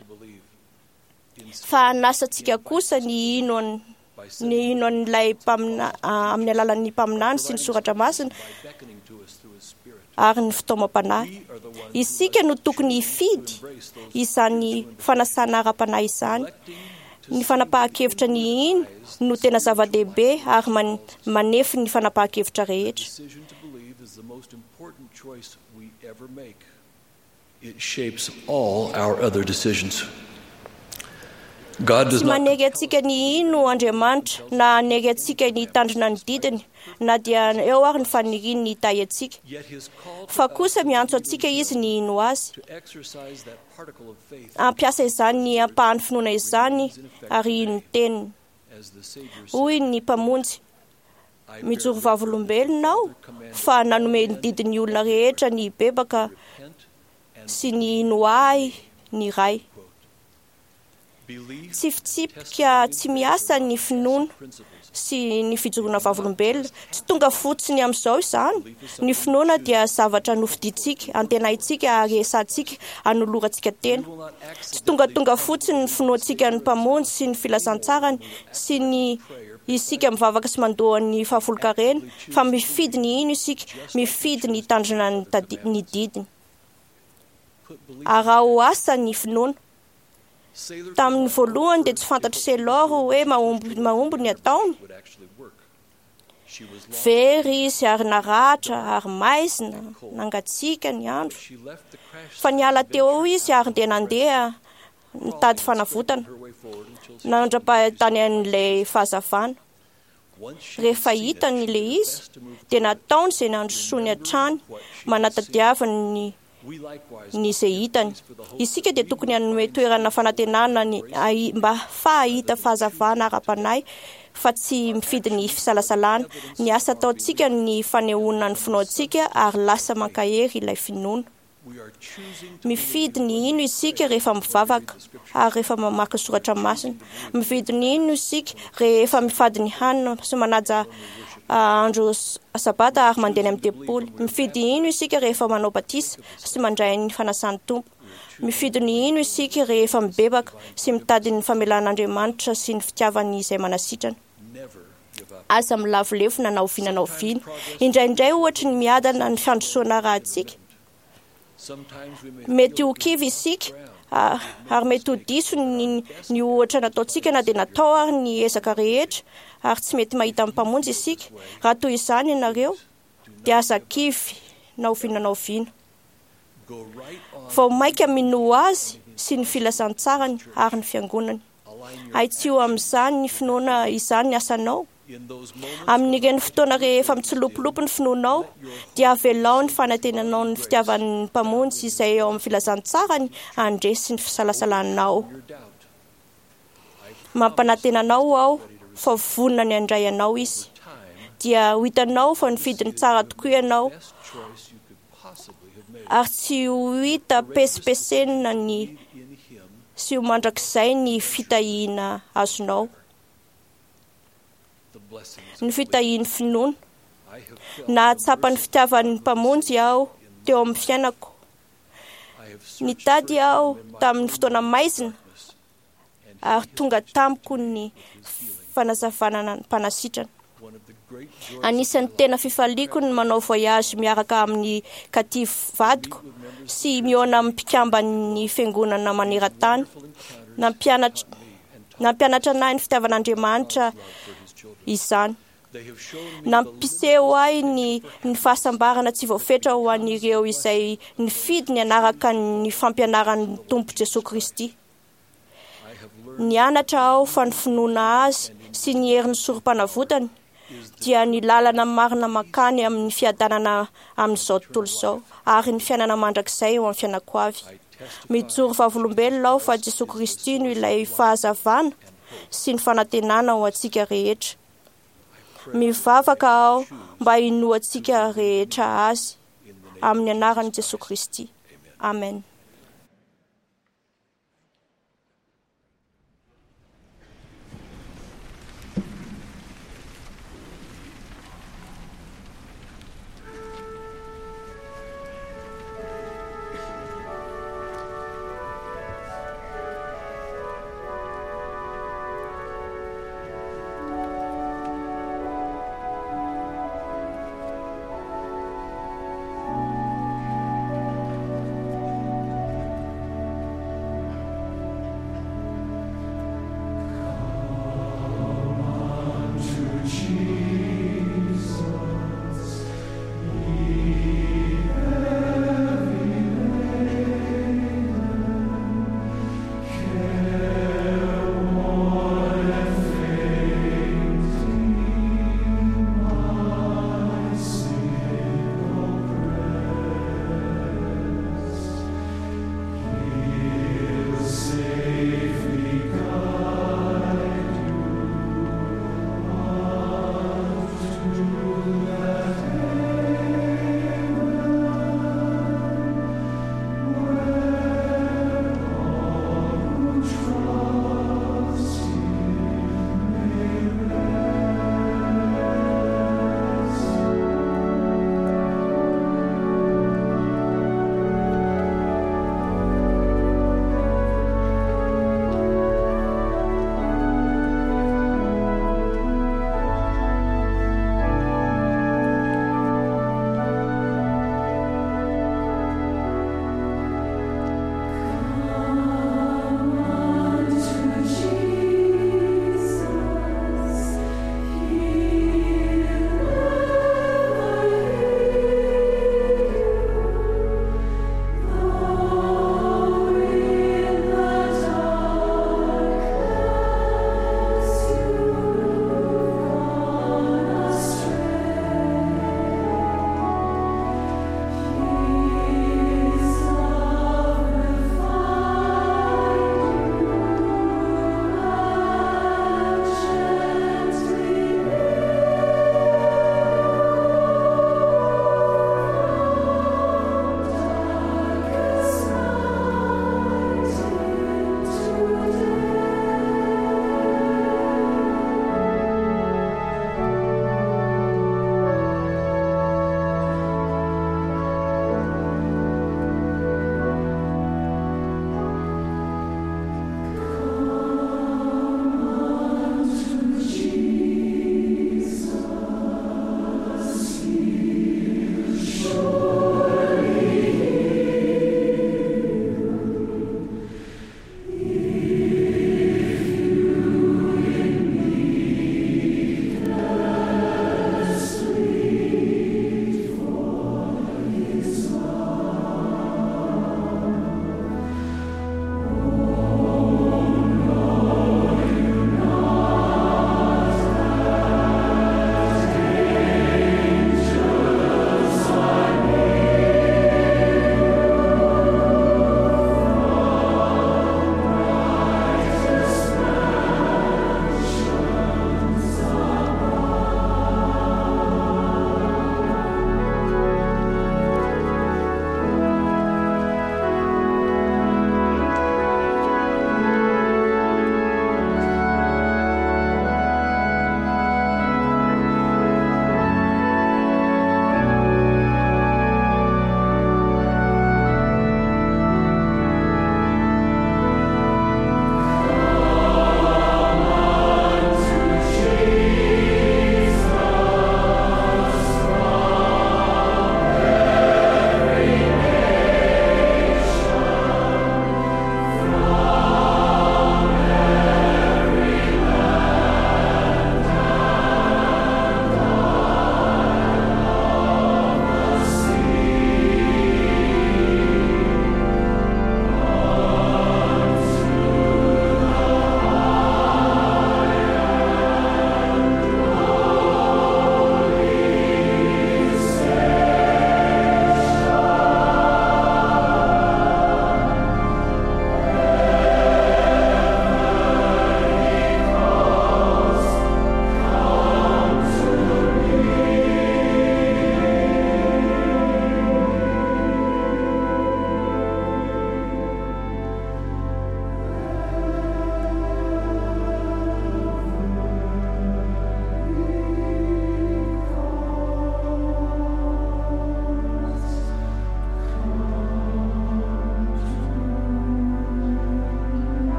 fa hanasa antsika kosa ny hino ny hino an'ilay mpamina amin'ny alalan'ny mpaminany sy ny soratra masina ary ny fitaomam-panahy. Isika no tokony hifidy izany fanasana ara-panahy izany. Ny fanapahan-kevitra ny hino no tena zava-dehibe ary manefy ny fanapahan-kevitra rehetra. It shapes all our other decisions. God does Tsy not manery antsika ny hino Andriamanitra na hanery antsika ny hitandrina ny didiny na dia eo ary ny faniriany ny hitahy antsika. Fa kosa miantso antsika Izy ny hino Azy. to exercise that particle of faith Hampiasa izany ampahan'ny finoana izany ary hino ny teniny. as the Savior Hoy ny Mpamonjy, mijoro vavolombelona aho fa nanome ny didin'ny olona rehetra ny hibebaka sy ny hino ahy ny Ray. Tsy fitsipika tsy miasa ny finoana sy ny fijoroana vavolombelona. Tsy tonga fotsiny amin'izao izany. Ny finoana dia zavatra nofidintsika, antenaintsika ary esantsika hanolorantsika tena. Tsy tongatonga fotsiny ny finoantsika ny Mpamonjy sy ny filazantsarany sy ny isika mivavaka sy mandoa ny fahafolonkarena, fa mifidy ny hino isika, mifidy ny hitandrina ny tadi- ny didiny. Araho asa ny finoana. Tamin'ny voalohany dia tsy fantatr'i Sailor hoe mahomby mahomby ny ataony. would actually work. She was lost. Very izy ary naratra ary maizina, nangatsiaka ny andro. She left the crash Fa niala teo eo izy ary dia nandeha nitady fanavotana. her way forward until she Nandra-pahitany an'ilay fahazavana. once she Rehefa hitany ilay izy dia nataony izay nandrosoany hatrany manatadiavany ny we likewise ny izay hitany. Isika dia tokony hanome toerana fanantenana ny ahi- mba fahahita fahazavana ara-panahy fa tsy mifidy ny fisalasalana. Ny asa ataontsika ny fanehoana ny finoantsika ary lasa mankahery ilay finoana. we are choosing to Mifidy ny hino isika rehefa mivavaka ary rehefa mamaky ny soratra masina. Mifidy ny hino isika rehefa mifady ny hanina sy manaja andro sabata ary mandeha any amin'ny tempoly. Mifidy hino isika rehefa manao batisa sy mandray ny fanasan'ny Tompo. Mifidy ny hino isika rehefa mibebaka sy mitady ny famelan'Andriamanitra sy ny fitiavany izay manasitrana. Aza milavolefona na oviana na oviana. Indraindray ohatry ny miadana ny fandrosoana arahantsika. Mety ho kivy isika ary mety ho diso ny ohatra nataontsika na dia natao ary ny ezaka rehetra ary tsy mety mahita ny Mpamonjy isika. Raha toy izany ianareo dia aza kivy na oviana na oviana. Vao mainka minoa Azy sy ny filazantsarany ary ny fiangonany. Ahitsio amin'izany ny finoana izany ny asanao. Amin'ireny fotoana rehefa mitsilopilopy ny finoanao, dia avelao ny fanantenanao ny fitiavan'ny Mpamonjy izay ao amin'ny filazantsarany handresy ny fisalasalanao. Mampanantena anao aho fa vonona ny handray anao Izy. Dia ho hitanao fa nifidy ny tsara tokoa ianao ary tsy ho hita pesipesenina ny sy ho mandrakizay ny fitahiana azonao. Ny fitahian'ny finoana. Nahatsapa ny fitiavan'ny Mpamonjy aho teo amin'ny fiainako. Nitady aho tamin'ny fotoana maizina ary tonga tamiko ny fanazavana mpanasitrana. Anisan'ny tena fifaliako ny manao voyage miaraka amin'ny Katy vadiko sy mihaona amin'ny mpikamban'ny fiangonana maneran-tany. Nampianatra anahy ny fitiavan'Andriamanitra izany. Nampiseho ahy ny fahasambarana tsy voafetra ho an'ireo izay nifidy ny hanaraka ny fampianaran'ny Tompo Jesoa Kristy. Nianatra aho fa ny finoana Azy sy ny herin'ny sorom-panavotany dia ny lalana marina mankany amin'ny fiadanana amin'izao tontolo izao ary ny fiainana mandrakizay eo amin'ny fiainako avy. Mijoro vavolombelona aho fa Jesoa Kristy no ilay fahazavana sy ny fanantenana ho antsika rehetra. Mivavaka aho mba hinoantsika rehetra Azy amin'ny anaran'i Jesoa Kristy. Amen.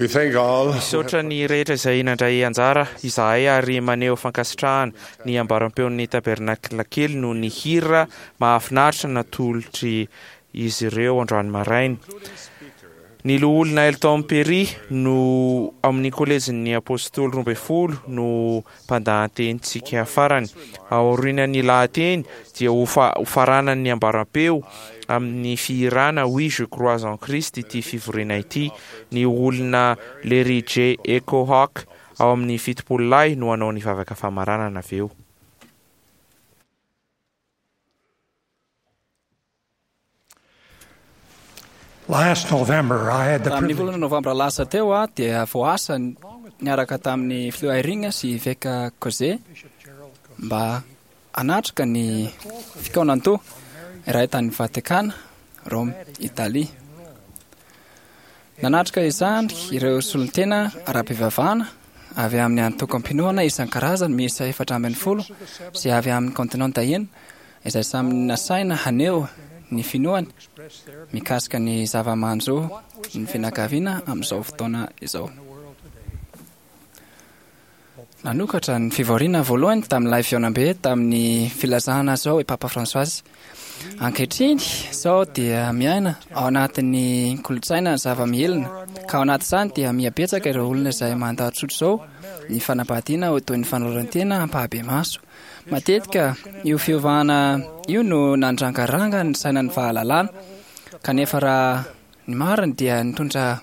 We thank all Misaotra ny rehetra izay nandray anjara izahay ary maneho fankasitrahana ny ambaram-peon'ny tabernakla kely noho ny hira mahafinaritra natolotry izy ireo androany maraina. Ny loholona Elton Perry no amin'ny kolejin'ny Apôstôly 12 no mpandahatenintsika farany. Aorian'ny lahateny dia ho faranan'ny ambaram-peo amin'ny fihirana Oui je crois en Christ ity fivoriana ity. Ny olona Larry J. Echo Hawk ao amin'ny 70 lahy no hanao ny vavaka famaranana avy eo. Last November, I had the Tamin'ny privilege volana novambra lasa teo aho dia voaasa niaraka tamin'ny filoha Eyring sy Eveka Coze mba hanatrika ny fikaonandoha iray tany Vatikana, Rome, Italia. Nanatrika izany ireo solontena ara-pivavahana avy amin'ny antokom-pinoana isan-karazany miisa 14 sy avy amin'ny kontinenta enina izay samy nasaina haneho ny finoany mikasika ny zava-manjo ny fianakaviana amin'izao fotoana izao. Nanokatra ny fivoriana voalohany tamin'ilay fihaonambe tamin'ny filazana izao i Papa François. Ankehitriny izao dia miaina ao anatin'ny kolontsaina ny zava-mihelina, ka ao anatin'izany dia mihabetsaka ireo olona izay mandà tsotra izao ny fanambadiana ho toy ny fanoloran-tena ampahibemaso. Matetika io fiovana io no nandrangaranga ny sainan'ny fahalalana, kanefa raha ny marina dia nitondra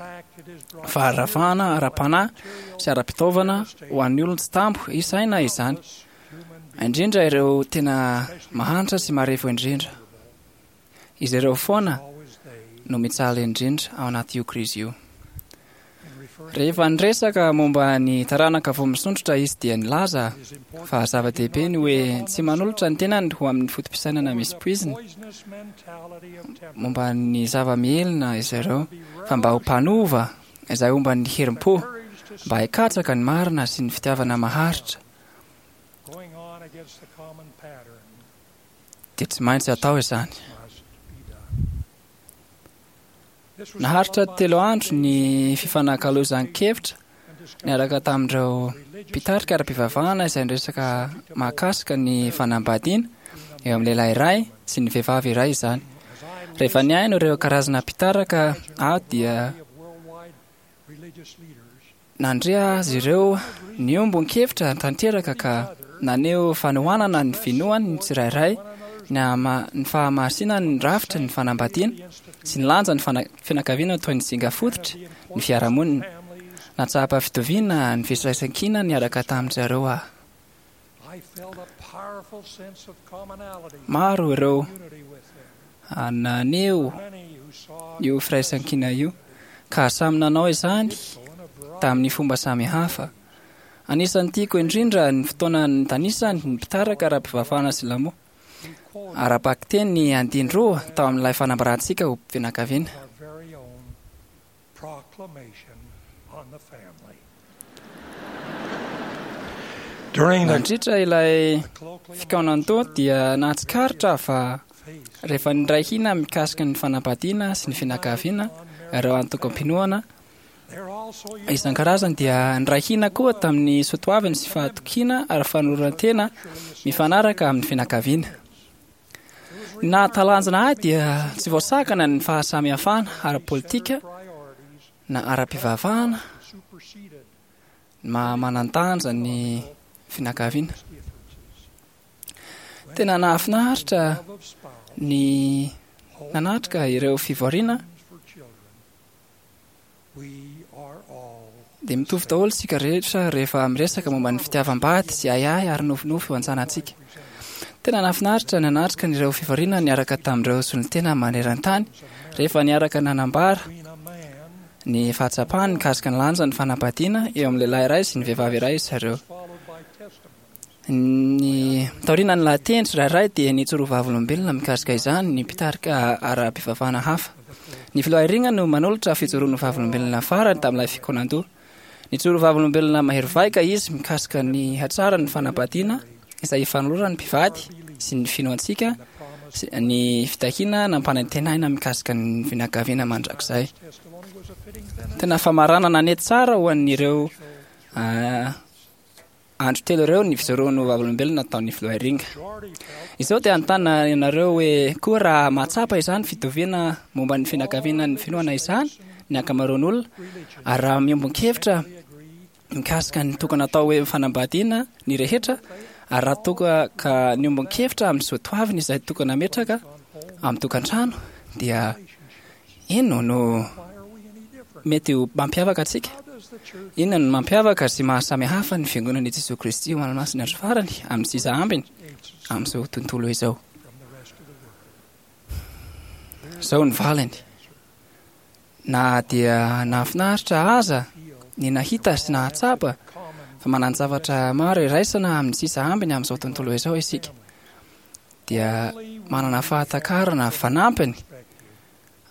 faharavana ara-panahy sy ara-pitaovana ho an'ny olona tsy tambo isaina izany, indrindra ireo tena mahantra sy marefo indrindra. Izy ireo foana no mijaly indrindra ao anaty io krizy io. Rehefa niresaka momba ny taranaka vao misondrotra izy dia nilaza fa zava-dehibe ny hoe tsy manolotra ny tenany ho amin'ny foto-pisainana misy poizina momba ny zava-mihelina izy ireo, fa mba ho mpanova izay homba ny herim-po mba hikatsaka ny marina sy ny fitiavana maharitra dia tsy maintsy atao izany. Naharitra 3 andro ny fifanakalozan-kevitra niaraka tamin'ireo mpitarika ara-pivavahana izay niresaka mahakasika ny fanambadiana eo amin'ny lehilahy iray sy ny vehivavy iray izany. Rehefa nihaino ireo karazana mpitarika aho dia nandre azy ireo niombon-kevitra tanteraka ka naneho fanohanana ny finoany ny tsirairay, ny fahamasinan'ny rafitry ny fanambadiana sy ny lanjan'ny fianakaviana toy ny singa fototry ny fiarahamonina. Nahatsapa fitoviana ny firaisankina niaraka tamin-dry zareo aho. Maro ireo naneho io firaisankina io ka samy nanao izany tamin'ny fomba samihafa. Anisan'ny tiako indrindra ny fotoana nitanisany ny mpitarika ara-pivavahana silamo ara-bakiteny ny andininy 2 tao amin'ilay fanambarantsika ho fianakaviana. Nandritra ilay fikaonandoha dia nahatsikaritra fa rehefa niray hina mikasika ny fanambadiana sy ny fianakaviana ireo antokom-pinoana isan-karazany dia niray hina koa tamin'ny soatoaviny sy fahatokiana ary fanoloran-tena mifanaraka amin'ny fianakaviana. Ny nahatalanjona ahy dia tsy voasakana ny fahasamihafana ara-politika na ara-pivavahana ny maha-manan-danja ny fianakaviana. Tena nahafinaritra ny nanatrika ireo fivoriana dia mitovy daholo isika rehetra rehefa miresaka momba ny fitiavam-bady sy ahiahy ary nofinofy ho an-tsanantsika. Tena nahafinaritra ny nanatrika ireo fivoriana niaraka tamin'ireo solontena maneran-tany rehefa niaraka nanambara ny fahatsapany mikasika ny lanjan'ny fanambadiana eo amin'ny lehilahy iray sy ny vehivavy iray izy ireo. Ny taorian'ny lahateny tsirairay dia nijoro vavolombelona mikasika izany ny mpitarika ara-pivavahana hafa. Ny filoha Eyring no manolotra fijoroana vavolombelona farany tamin'ilay fikaonandoha. Nijoro vavolombelona mahery vaika izy mikasika ny hatsaran'ny fanambadiana izay ifanoloran'ny mpivady sy ny finoantsika sy ny fitahiana nampanantenaina mikasika ny fianakaviana mandrakizay. Tena famaranana nety tsara ho an'ireo andro telo ireo ny fijoroan'ny vavolombelona nataon'ny filoha Eyring. Izao dia hanontany ianareo hoe koa raha mahatsapa izany fitoviana momba ny fianakaviana ny finoana izany ny ankamaroan'olona ary raha miombon-kevitra mikasika ny tokony atao hoe fanambadiana ny rehetra ary raha toa ka niombon-kevitra amin'ny soatoavina izay tokony hametraka amin'ny tokantrano dia inona no mety ho mampiavaka antsika? Inona no mampiavaka sy maha-samy hafa ny Fiangonan'i Jesoa Kristy ho an'ny Masin'ny Andro Farany amin'ny sisa ambiny amin'izao tontolo izao? Izao ny valiny. Na dia nahafinaritra aza ny nahita sy nahatsapa fa manan-javatra maro iraisana amin'ny sisa ambiny amin'izao tontolo izao isika, dia manana fahatakarana fanampiny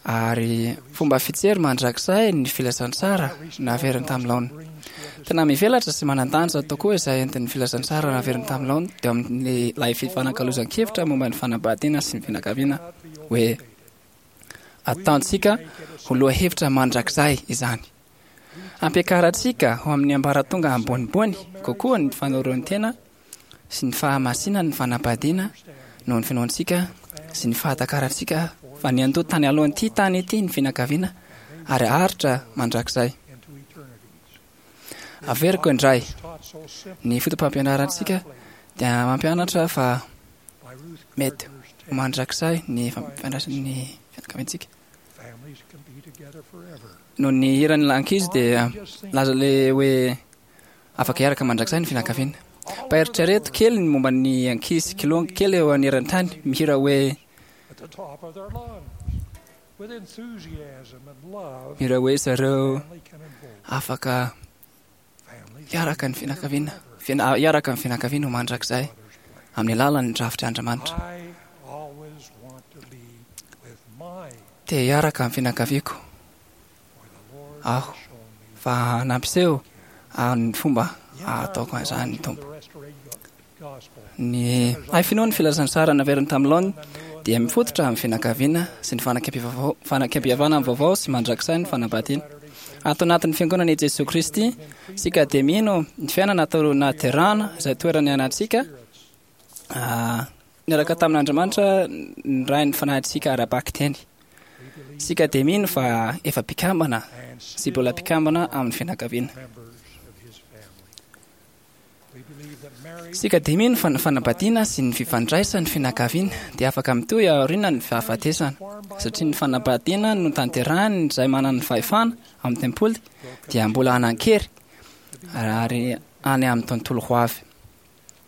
ary fomba fijery mandrakizay ny filazantsara naveriny tamin'ny laoniny. Tena mivelatra sy manan-danja tokoa izay entin'ny filazantsara naveriny tamin'ny laoniny teo amin'ilay fifanakalozan-kevitra momba ny fanambadiana sy ny fianakaviana hoe Ataontsika ho lohahevitra mandrakizay izany. Ampiakarantsika ho amin'ny ambaratonga ambonimbony kokoa ny fanoroan-tena sy ny fahamasinan'ny fanambadiana noho ny finoantsika sy ny fahatakarantsika fa niandoha tany alohan'ity tany ity ny fianakaviana ary haharitra mandrakizay. Averiko indray, ny fotopampianarantsika dia mampianatra fa mety ho mandrakizay ny fifandraisan'ny fianakaviantsika. Noho ny hiran'ny ankizy dia laza le hoe afaka hiaraka mandrakizay ny fianakaviana. Mba eritrereto kely ny momba ny ankizy kilonga kely eo aneran-tany mihira hoe Mihira hoe zareo afaka hiaraka ny fianakaviana, hiaraka ny fianakaviana ho mandrakizay amin'ny alalan'ny drafitr'Andriamanitra. Te hiaraka amin'ny fianakaviako aho fa nampiseho ny fomba ahataoko an'izany ny Tompo. Ny hay finoan'ny filazantsara naveriny tamin'ny laoniny dia mifototra amin'ny fianakaviana sy ny fanekempihavanana vaovao sy mandrakizay ny fanambadiana. Ato anatin'ny Fiangonana i Jesoa Kristy, isika dia mino ny fiainana taloha nahaterahana izay toerana niainantsika niaraka tamin'Andriamanitra ny Rain'ny fanahintsika ara-bakiteny. Isika dia mino fa efa mpikambana sy mbola mpikambana amin'ny fianakaviana. Isika dia mino fa ny fanambadiana sy ny fifandraisan'ny fianakaviana dia afaka mitohy aorianan'ny fahafatesana, satria ny fanambadiana notanterahin'ny izay manana ny fahefana amin'ny tempoly dia mbola hanan-kery ary any amin'ny tontolo ho avy.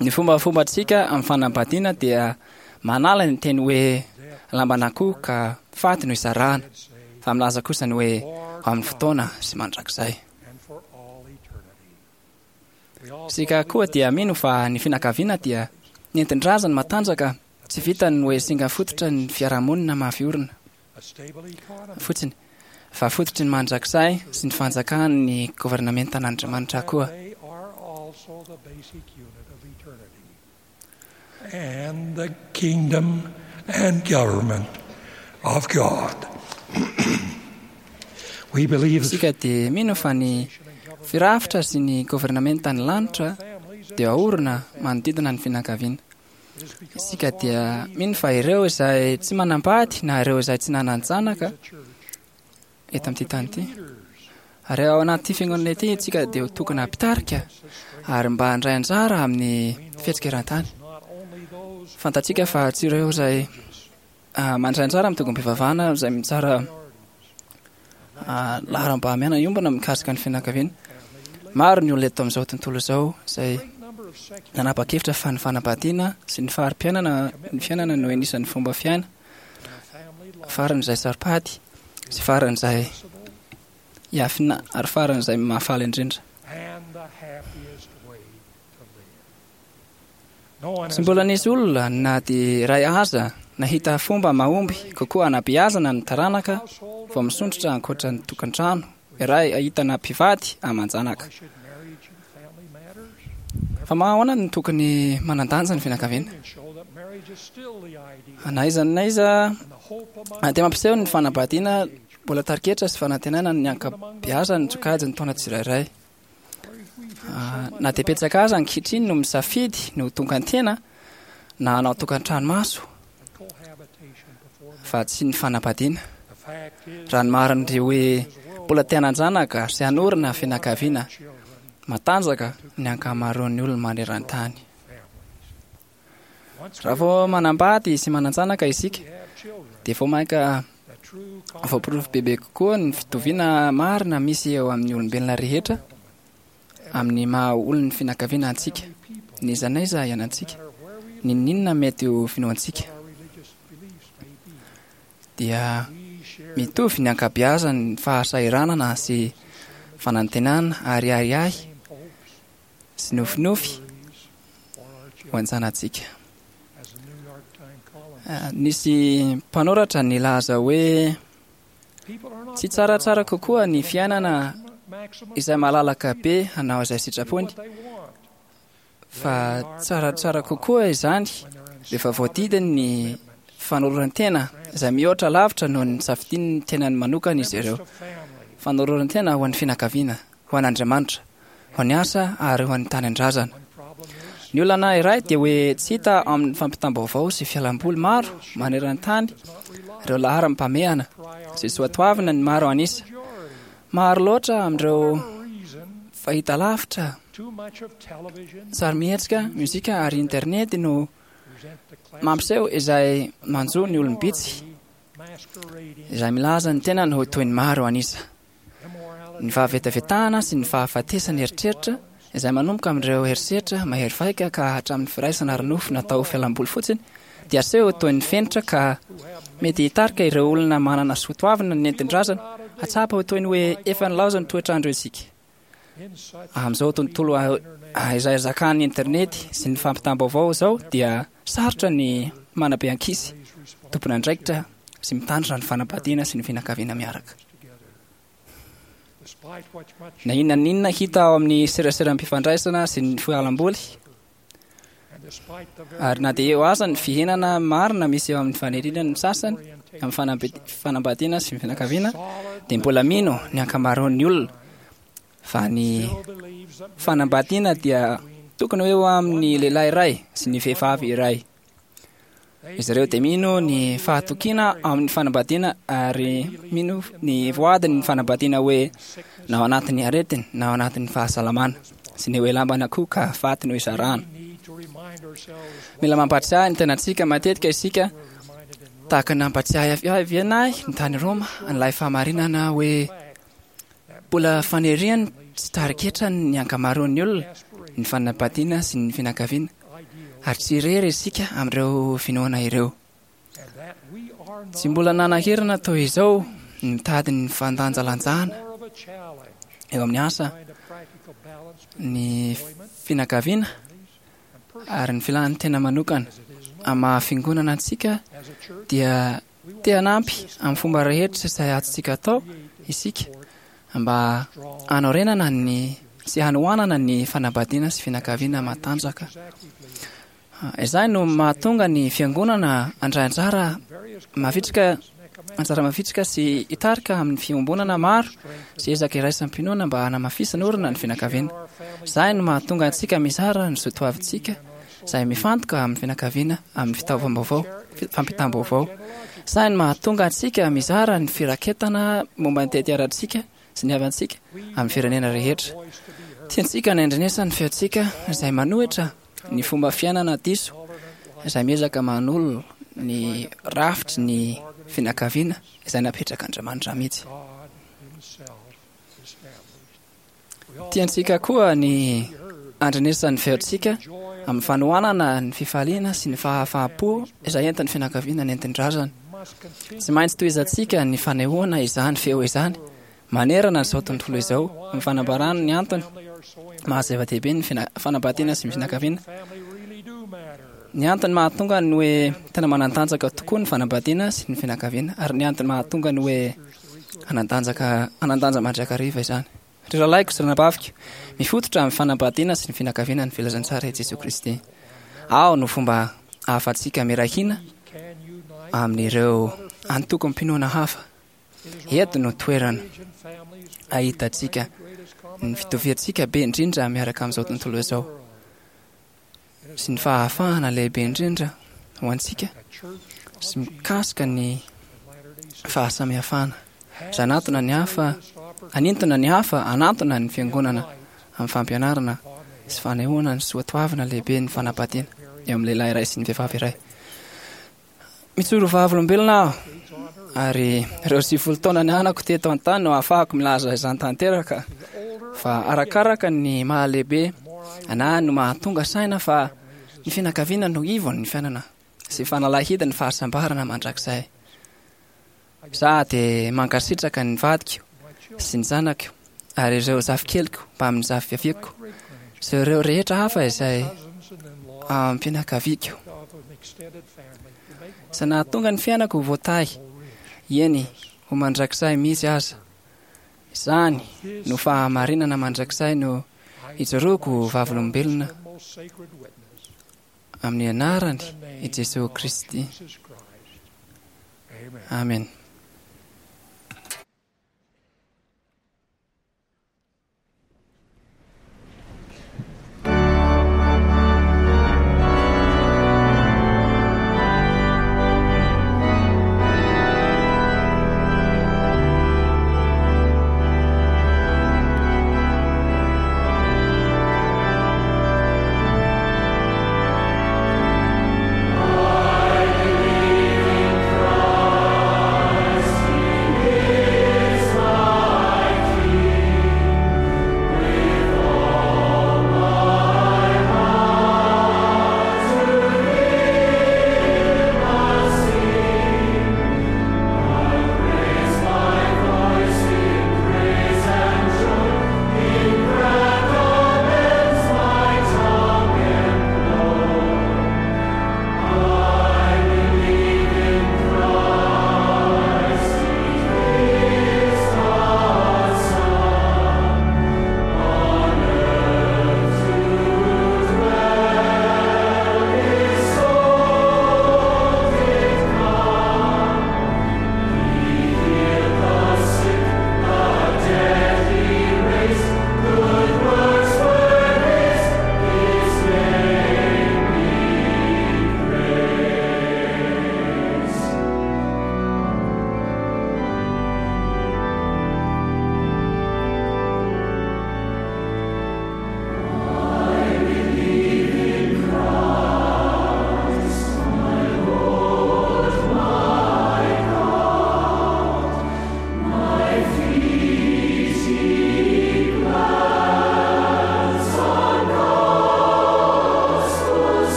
Ny fombafombantsika amin'ny fanambadiana dia manala ny teny hoe lamban'akoho ka faty no isarahana, fa milaza kosa ny hoe ho amin'ny fotoana sy mandrakizay. Isika koa dia mino fa ny fianakaviana dia nentin-drazana matanjaka, tsy vitan'ny hoe singa fototra ny fiarahamonina mafy orina fotsiny, fa fototry ny mandrakizay sy ny fanjakan'ny governementan'Andriamanitra koa. And the kingdom and government of God. We believe Isika dia mino fa ny firafitra sy ny governementan'ny lanitra dia aorina manodidina ny fianakaviana. Isika dia mino fa ireo izay tsy manambady na ireo izay tsy nanan-janaka eto amin'ity tany ity. Ary ao anatin'ity fiangonana ity isika dia ho tokony hampitarika ary mba handray anjara amin'ny fihetsika eran-tany. Fantatsika fa tsy ireo izay ah, mandray anjara amin'ny tongom-pivavahana izay mitsara ah, laharam-pahamehana iombona mikasika ny fianakaviana. Maro ny olona eto amin'izao tontolo izao izay nanapa-kevitra fa ny fanambadiana sy ny fari-piainana ny fiainana no anisan'ny fomba fiaina faran'izay saro-pady sy faran'izay hiafina ary faran'izay mahafaly indrindra. Tsy mbola nisy olona na dia iray aza nahita fomba mahomby kokoa hanabeazana ny taranaka vao misondrotra ankoatra ny tokantrano iray ahitana mpivady aman-janaka. Fa mahaona no tokony manan-danja ny fianakaviana? Na aiza na aiza dia mampiseho ny fanambadiana. Mbola tarigetra sy fanantenana ny ankabeazan'ny sokajin'ny taona tsirairay. Na dia betsaka aza ankehitriny no misafidy ny ho tongan-tena na hanao tokantrano maso fa tsy ny fanambadiana. Raha ny marina dia hoe mbola te hanan-janaka sy hanorina fianakaviana matanjaka ny ankamaroan'ny olona maneran-tany. Raha vao manambady sy manan-janaka isika dia vao mainka voaporofo bebe kokoa ny fitoviana marina misy eo amin'ny olombelona rehetra amin'ny maha olon'ny fianakaviana antsika, n'iza n'aiza ianantsika, n'inon'inona mety ho finoantsika. Dia mitovy ny ankabeazan'ny fahasahiranana sy fanantenana ary ahiahy sy nofinofy ho an-janatsika. Nisy mpanoratra nilaza hoe tsy tsaratsara kokoa ny fiainana izay malalaka be hanao izay sitrapony fa tsaratsara kokoa izany rehefa voadidiny ny fanoloran-tena izay mihoatra lavitra noho ny safidian'ny tenany manokana izy ireo. Fanoloran-tena ho an'ny fianakaviana, ho an'Andriamanitra, ho an'ny asa ary ho an'ny tanindrazana. Ny olana iray dia hoe tsy hita amin'ny fampitam-baovao sy fialamboly maro maneran-tany ireo laharam-pahamehana sy soatoavina ny maro an'isa. Maro loatra amin'ireo fahitalavitra, sarimihetsika, mozika ary internet no mampiseho izay manjo ny olom-bitsy izay milaza ny tenany ho toy ny maro an'isa. Ny fahavetavetahana sy ny fahafatesan'ny eritreritra izay manomboka amin'ireo herisetra mahery vaika ka hatramin'ny firaisana ara-nofo natao ho fialamboly fotsiny dia aseho toy ny fenitra ka mety hitarika ireo olona manana soatoavina nentin-drazana hatsapa ho toy ny hoe efa nilaozan'ny toetr'andro isika. Amin'izao tontolo izay zakan'ny internet sy ny fampitam-baovao izao dia sarotra ny manabe ankizy tompon'andraikitra sy mitandrina ny fanambadiana sy ny fianakaviana miaraka. Na inona na inona hita ao amin'ny seraseram-pifandraisana sy ny fialamboly, ary na dia eo aza ny fihenana marina misy eo amin'ny faniriana ny sasany amin'ny fanambadiana sy ny fianakaviana, dia mbola mino ny ankamaroan'ny olona fa ny fanambadiana dia tokony ho eo amin'ny lehilahy iray sy ny vehivavy iray. Izy ireo dia mino ny fahatokiana amin'ny fanambadiana ary mino ny voadin'ny fanambadiana hoe na ao anatin'ny aretiny na ao anatin'ny fahasalamana sy ny hoe lamban'akoho ka faty no isarahana. Mila mampahatsiahy ny tenantsika matetika isika tahaka ny nampahatsiahy avy ahy ny tany Roma an'ilay fahamarinana hoe Mbola faniriany tsy tari-ketra ny ankamaroan'ny olona ny fanambadiana sy ny fianakaviana, ary tsy irery isika amin'ireo finoana ireo. Tsy mbola nanahirana toy izao ny mitady ny fandanjalanjana eo amin'ny asa, ny fianakaviana ary ny filan'ny tena manokana. Amin'ny maha-fiangonana antsika dia Te hanampy amin'ny fomba rehetra izay azontsika atao isika mba hanorenana ny sy hanohanana ny fanambadiana sy fianakaviana matanjaka. Izany no mahatonga ny fiangonana handray anjara mavitrika anjara mavitrika sy hitarika amin'ny fiombonana maro sy ezaka iraisam-pinoana mba hanamafisana orina ny fianakaviana. Izany no mahatonga antsika mizara ny soatoavintsika izay mifantoka amin'ny fianakaviana amin'ny fitaovam-baovao, fampitam-baovao. Sahy ny mahatonga antsika mizara ny firaketana momba ny tetiarantsika sy ny havantsika amin'ny firenena rehetra. Tiantsika ny handrenesan'ny feontsika izay manohitra ny fomba fiainana diso izay miezaka manolo ny rafitry ny fianakaviana izay napetrak'Andriamanitra mihitsy. Tiantsika koa ny handrenesan'ny feontsika amin'ny fanohanana ny fifaliana sy ny fahafaham-po izay entin'ny fianakaviana nentin-drazana. Tsy maintsy tohizantsika ny fanehoana izany feo izany manerana izao tontolo izao amin'ny fanambarana ny antony maha zava-dehibe ny fanambadiana sy ny fianakaviana. Ny antony mahatonga ny hoe tena manan-tanjaka tokoa ny fanambadiana sy ny fianakaviana ary ny antony mahatonga ny hoe Hanan-danjaka hanan-danja mandrakariva izany. Ry rahalahiko sy ranabaviko, mifototra amin'ny fanambadiana sy ny fianakaviana ny filazantsara i Jesoa Kristy. Ao no fomba ahafahantsika miray hina amin'ireo antokom-pinoana hafa. Eto no toerana ahitantsika ny fitoviantsika be indrindra miaraka amin'izao tontolo izao sy ny fahafahana lehibe indrindra ho antsika sy mikasika ny fahasamihafana. Izay hanatona ny hafa, hanintona ny hafa hanantona ny fiangonana amin'ny fampianarana sy fanehoana ny soatoavina lehibe ny fanambadiana eo amin'ny lehilahy iray sy ny vehivavy iray. Mijoro vavolombelona aho ary ireo 90 taona nianako teto an-tany no ahafahako milaza izany tanteraka fa arakaraka ny mahalehibe ana no mahatonga saina fa ny fianakaviana no ivon'ny fiainana sy fanalahidy ny fahasambarana mandrakizay. Za dia mankasitraka ny vadiko sy ny zanako ary ireo zafikeliko mbamin'ny zafiafiako sy ireo rehetra hafa izay am-pianakaviako. Izay nahatonga ny fiainako ho voatahy, eny, ho mandrakizay mihitsy aza. Izany no fahamarinana mandrakizay no ijoroako ho vavolombelona amin'ny anarany i Jesoa Kristy. Amen.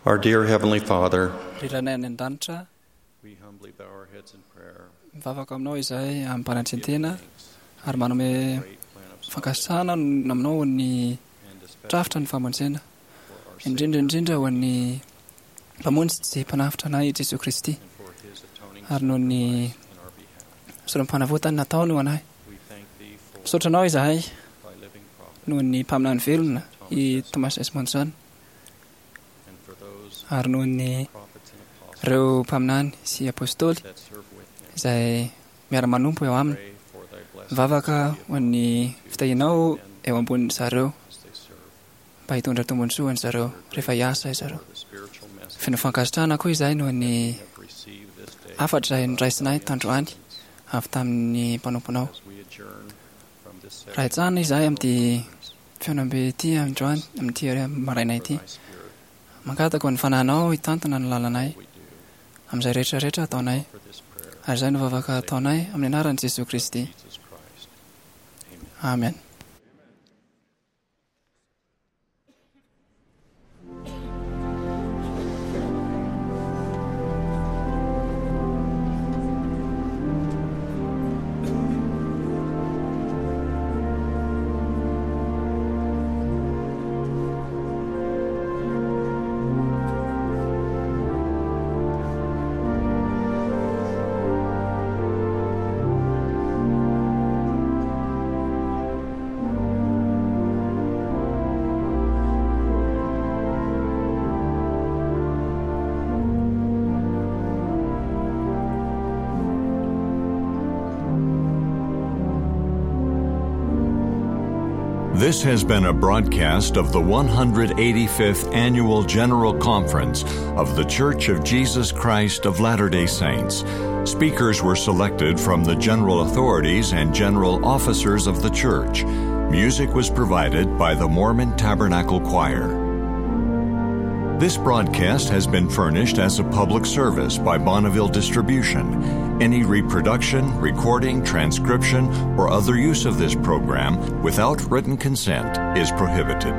Our dear Heavenly Father, Ry Rainay any an-danitra, we humbly bow our heads in prayer. mivavaka aminao izahay amim-panetren-tena ary manome fankasitrahana aminao ho an'ny drafitra ny famonjena, indrindra indrindra ho an'ny Mpamonjy sy Mpanavotra anay Jesoa Kristy, ary noho ny sorom-panavotany nataony ho anay. Misaotra anao izahay noho ny mpaminany velona i Thomas S. Monson ary noho ny ireo mpaminany sy apostoly izay miara-manompo eo aminy. Mivavaka ho an'ny fitahianao eo ambonin'ny zareo mba hitondra tombontsoa ho an'zareo rehefa hiasa izareo. Feno fankasitrahana koa izahay noho ny hafatra izay noraisinay tandroany avy tamin'ny mpanomponao. Raha hitsahana izahay amin'ity fihaonambe ity androany, amin'ity maraina ity, mangataka ho an'ny fanahinao hitantana ny lalanay amin'izay rehetra rehetra ataonay. Ary izay no vavaka ataonay amin'ny anaran'i Jesoa Kristy. Amen. This has been a broadcast of the 185th Annual General Conference of The Church of Jesus Christ of Latter day Saints. Speakers were selected from the general authorities and general officers of the church. Music was provided by the Mormon Tabernacle Choir. This broadcast has been furnished as a public service by Bonneville Distribution. Any reproduction, recording, transcription, or other use of this program without written consent is prohibited.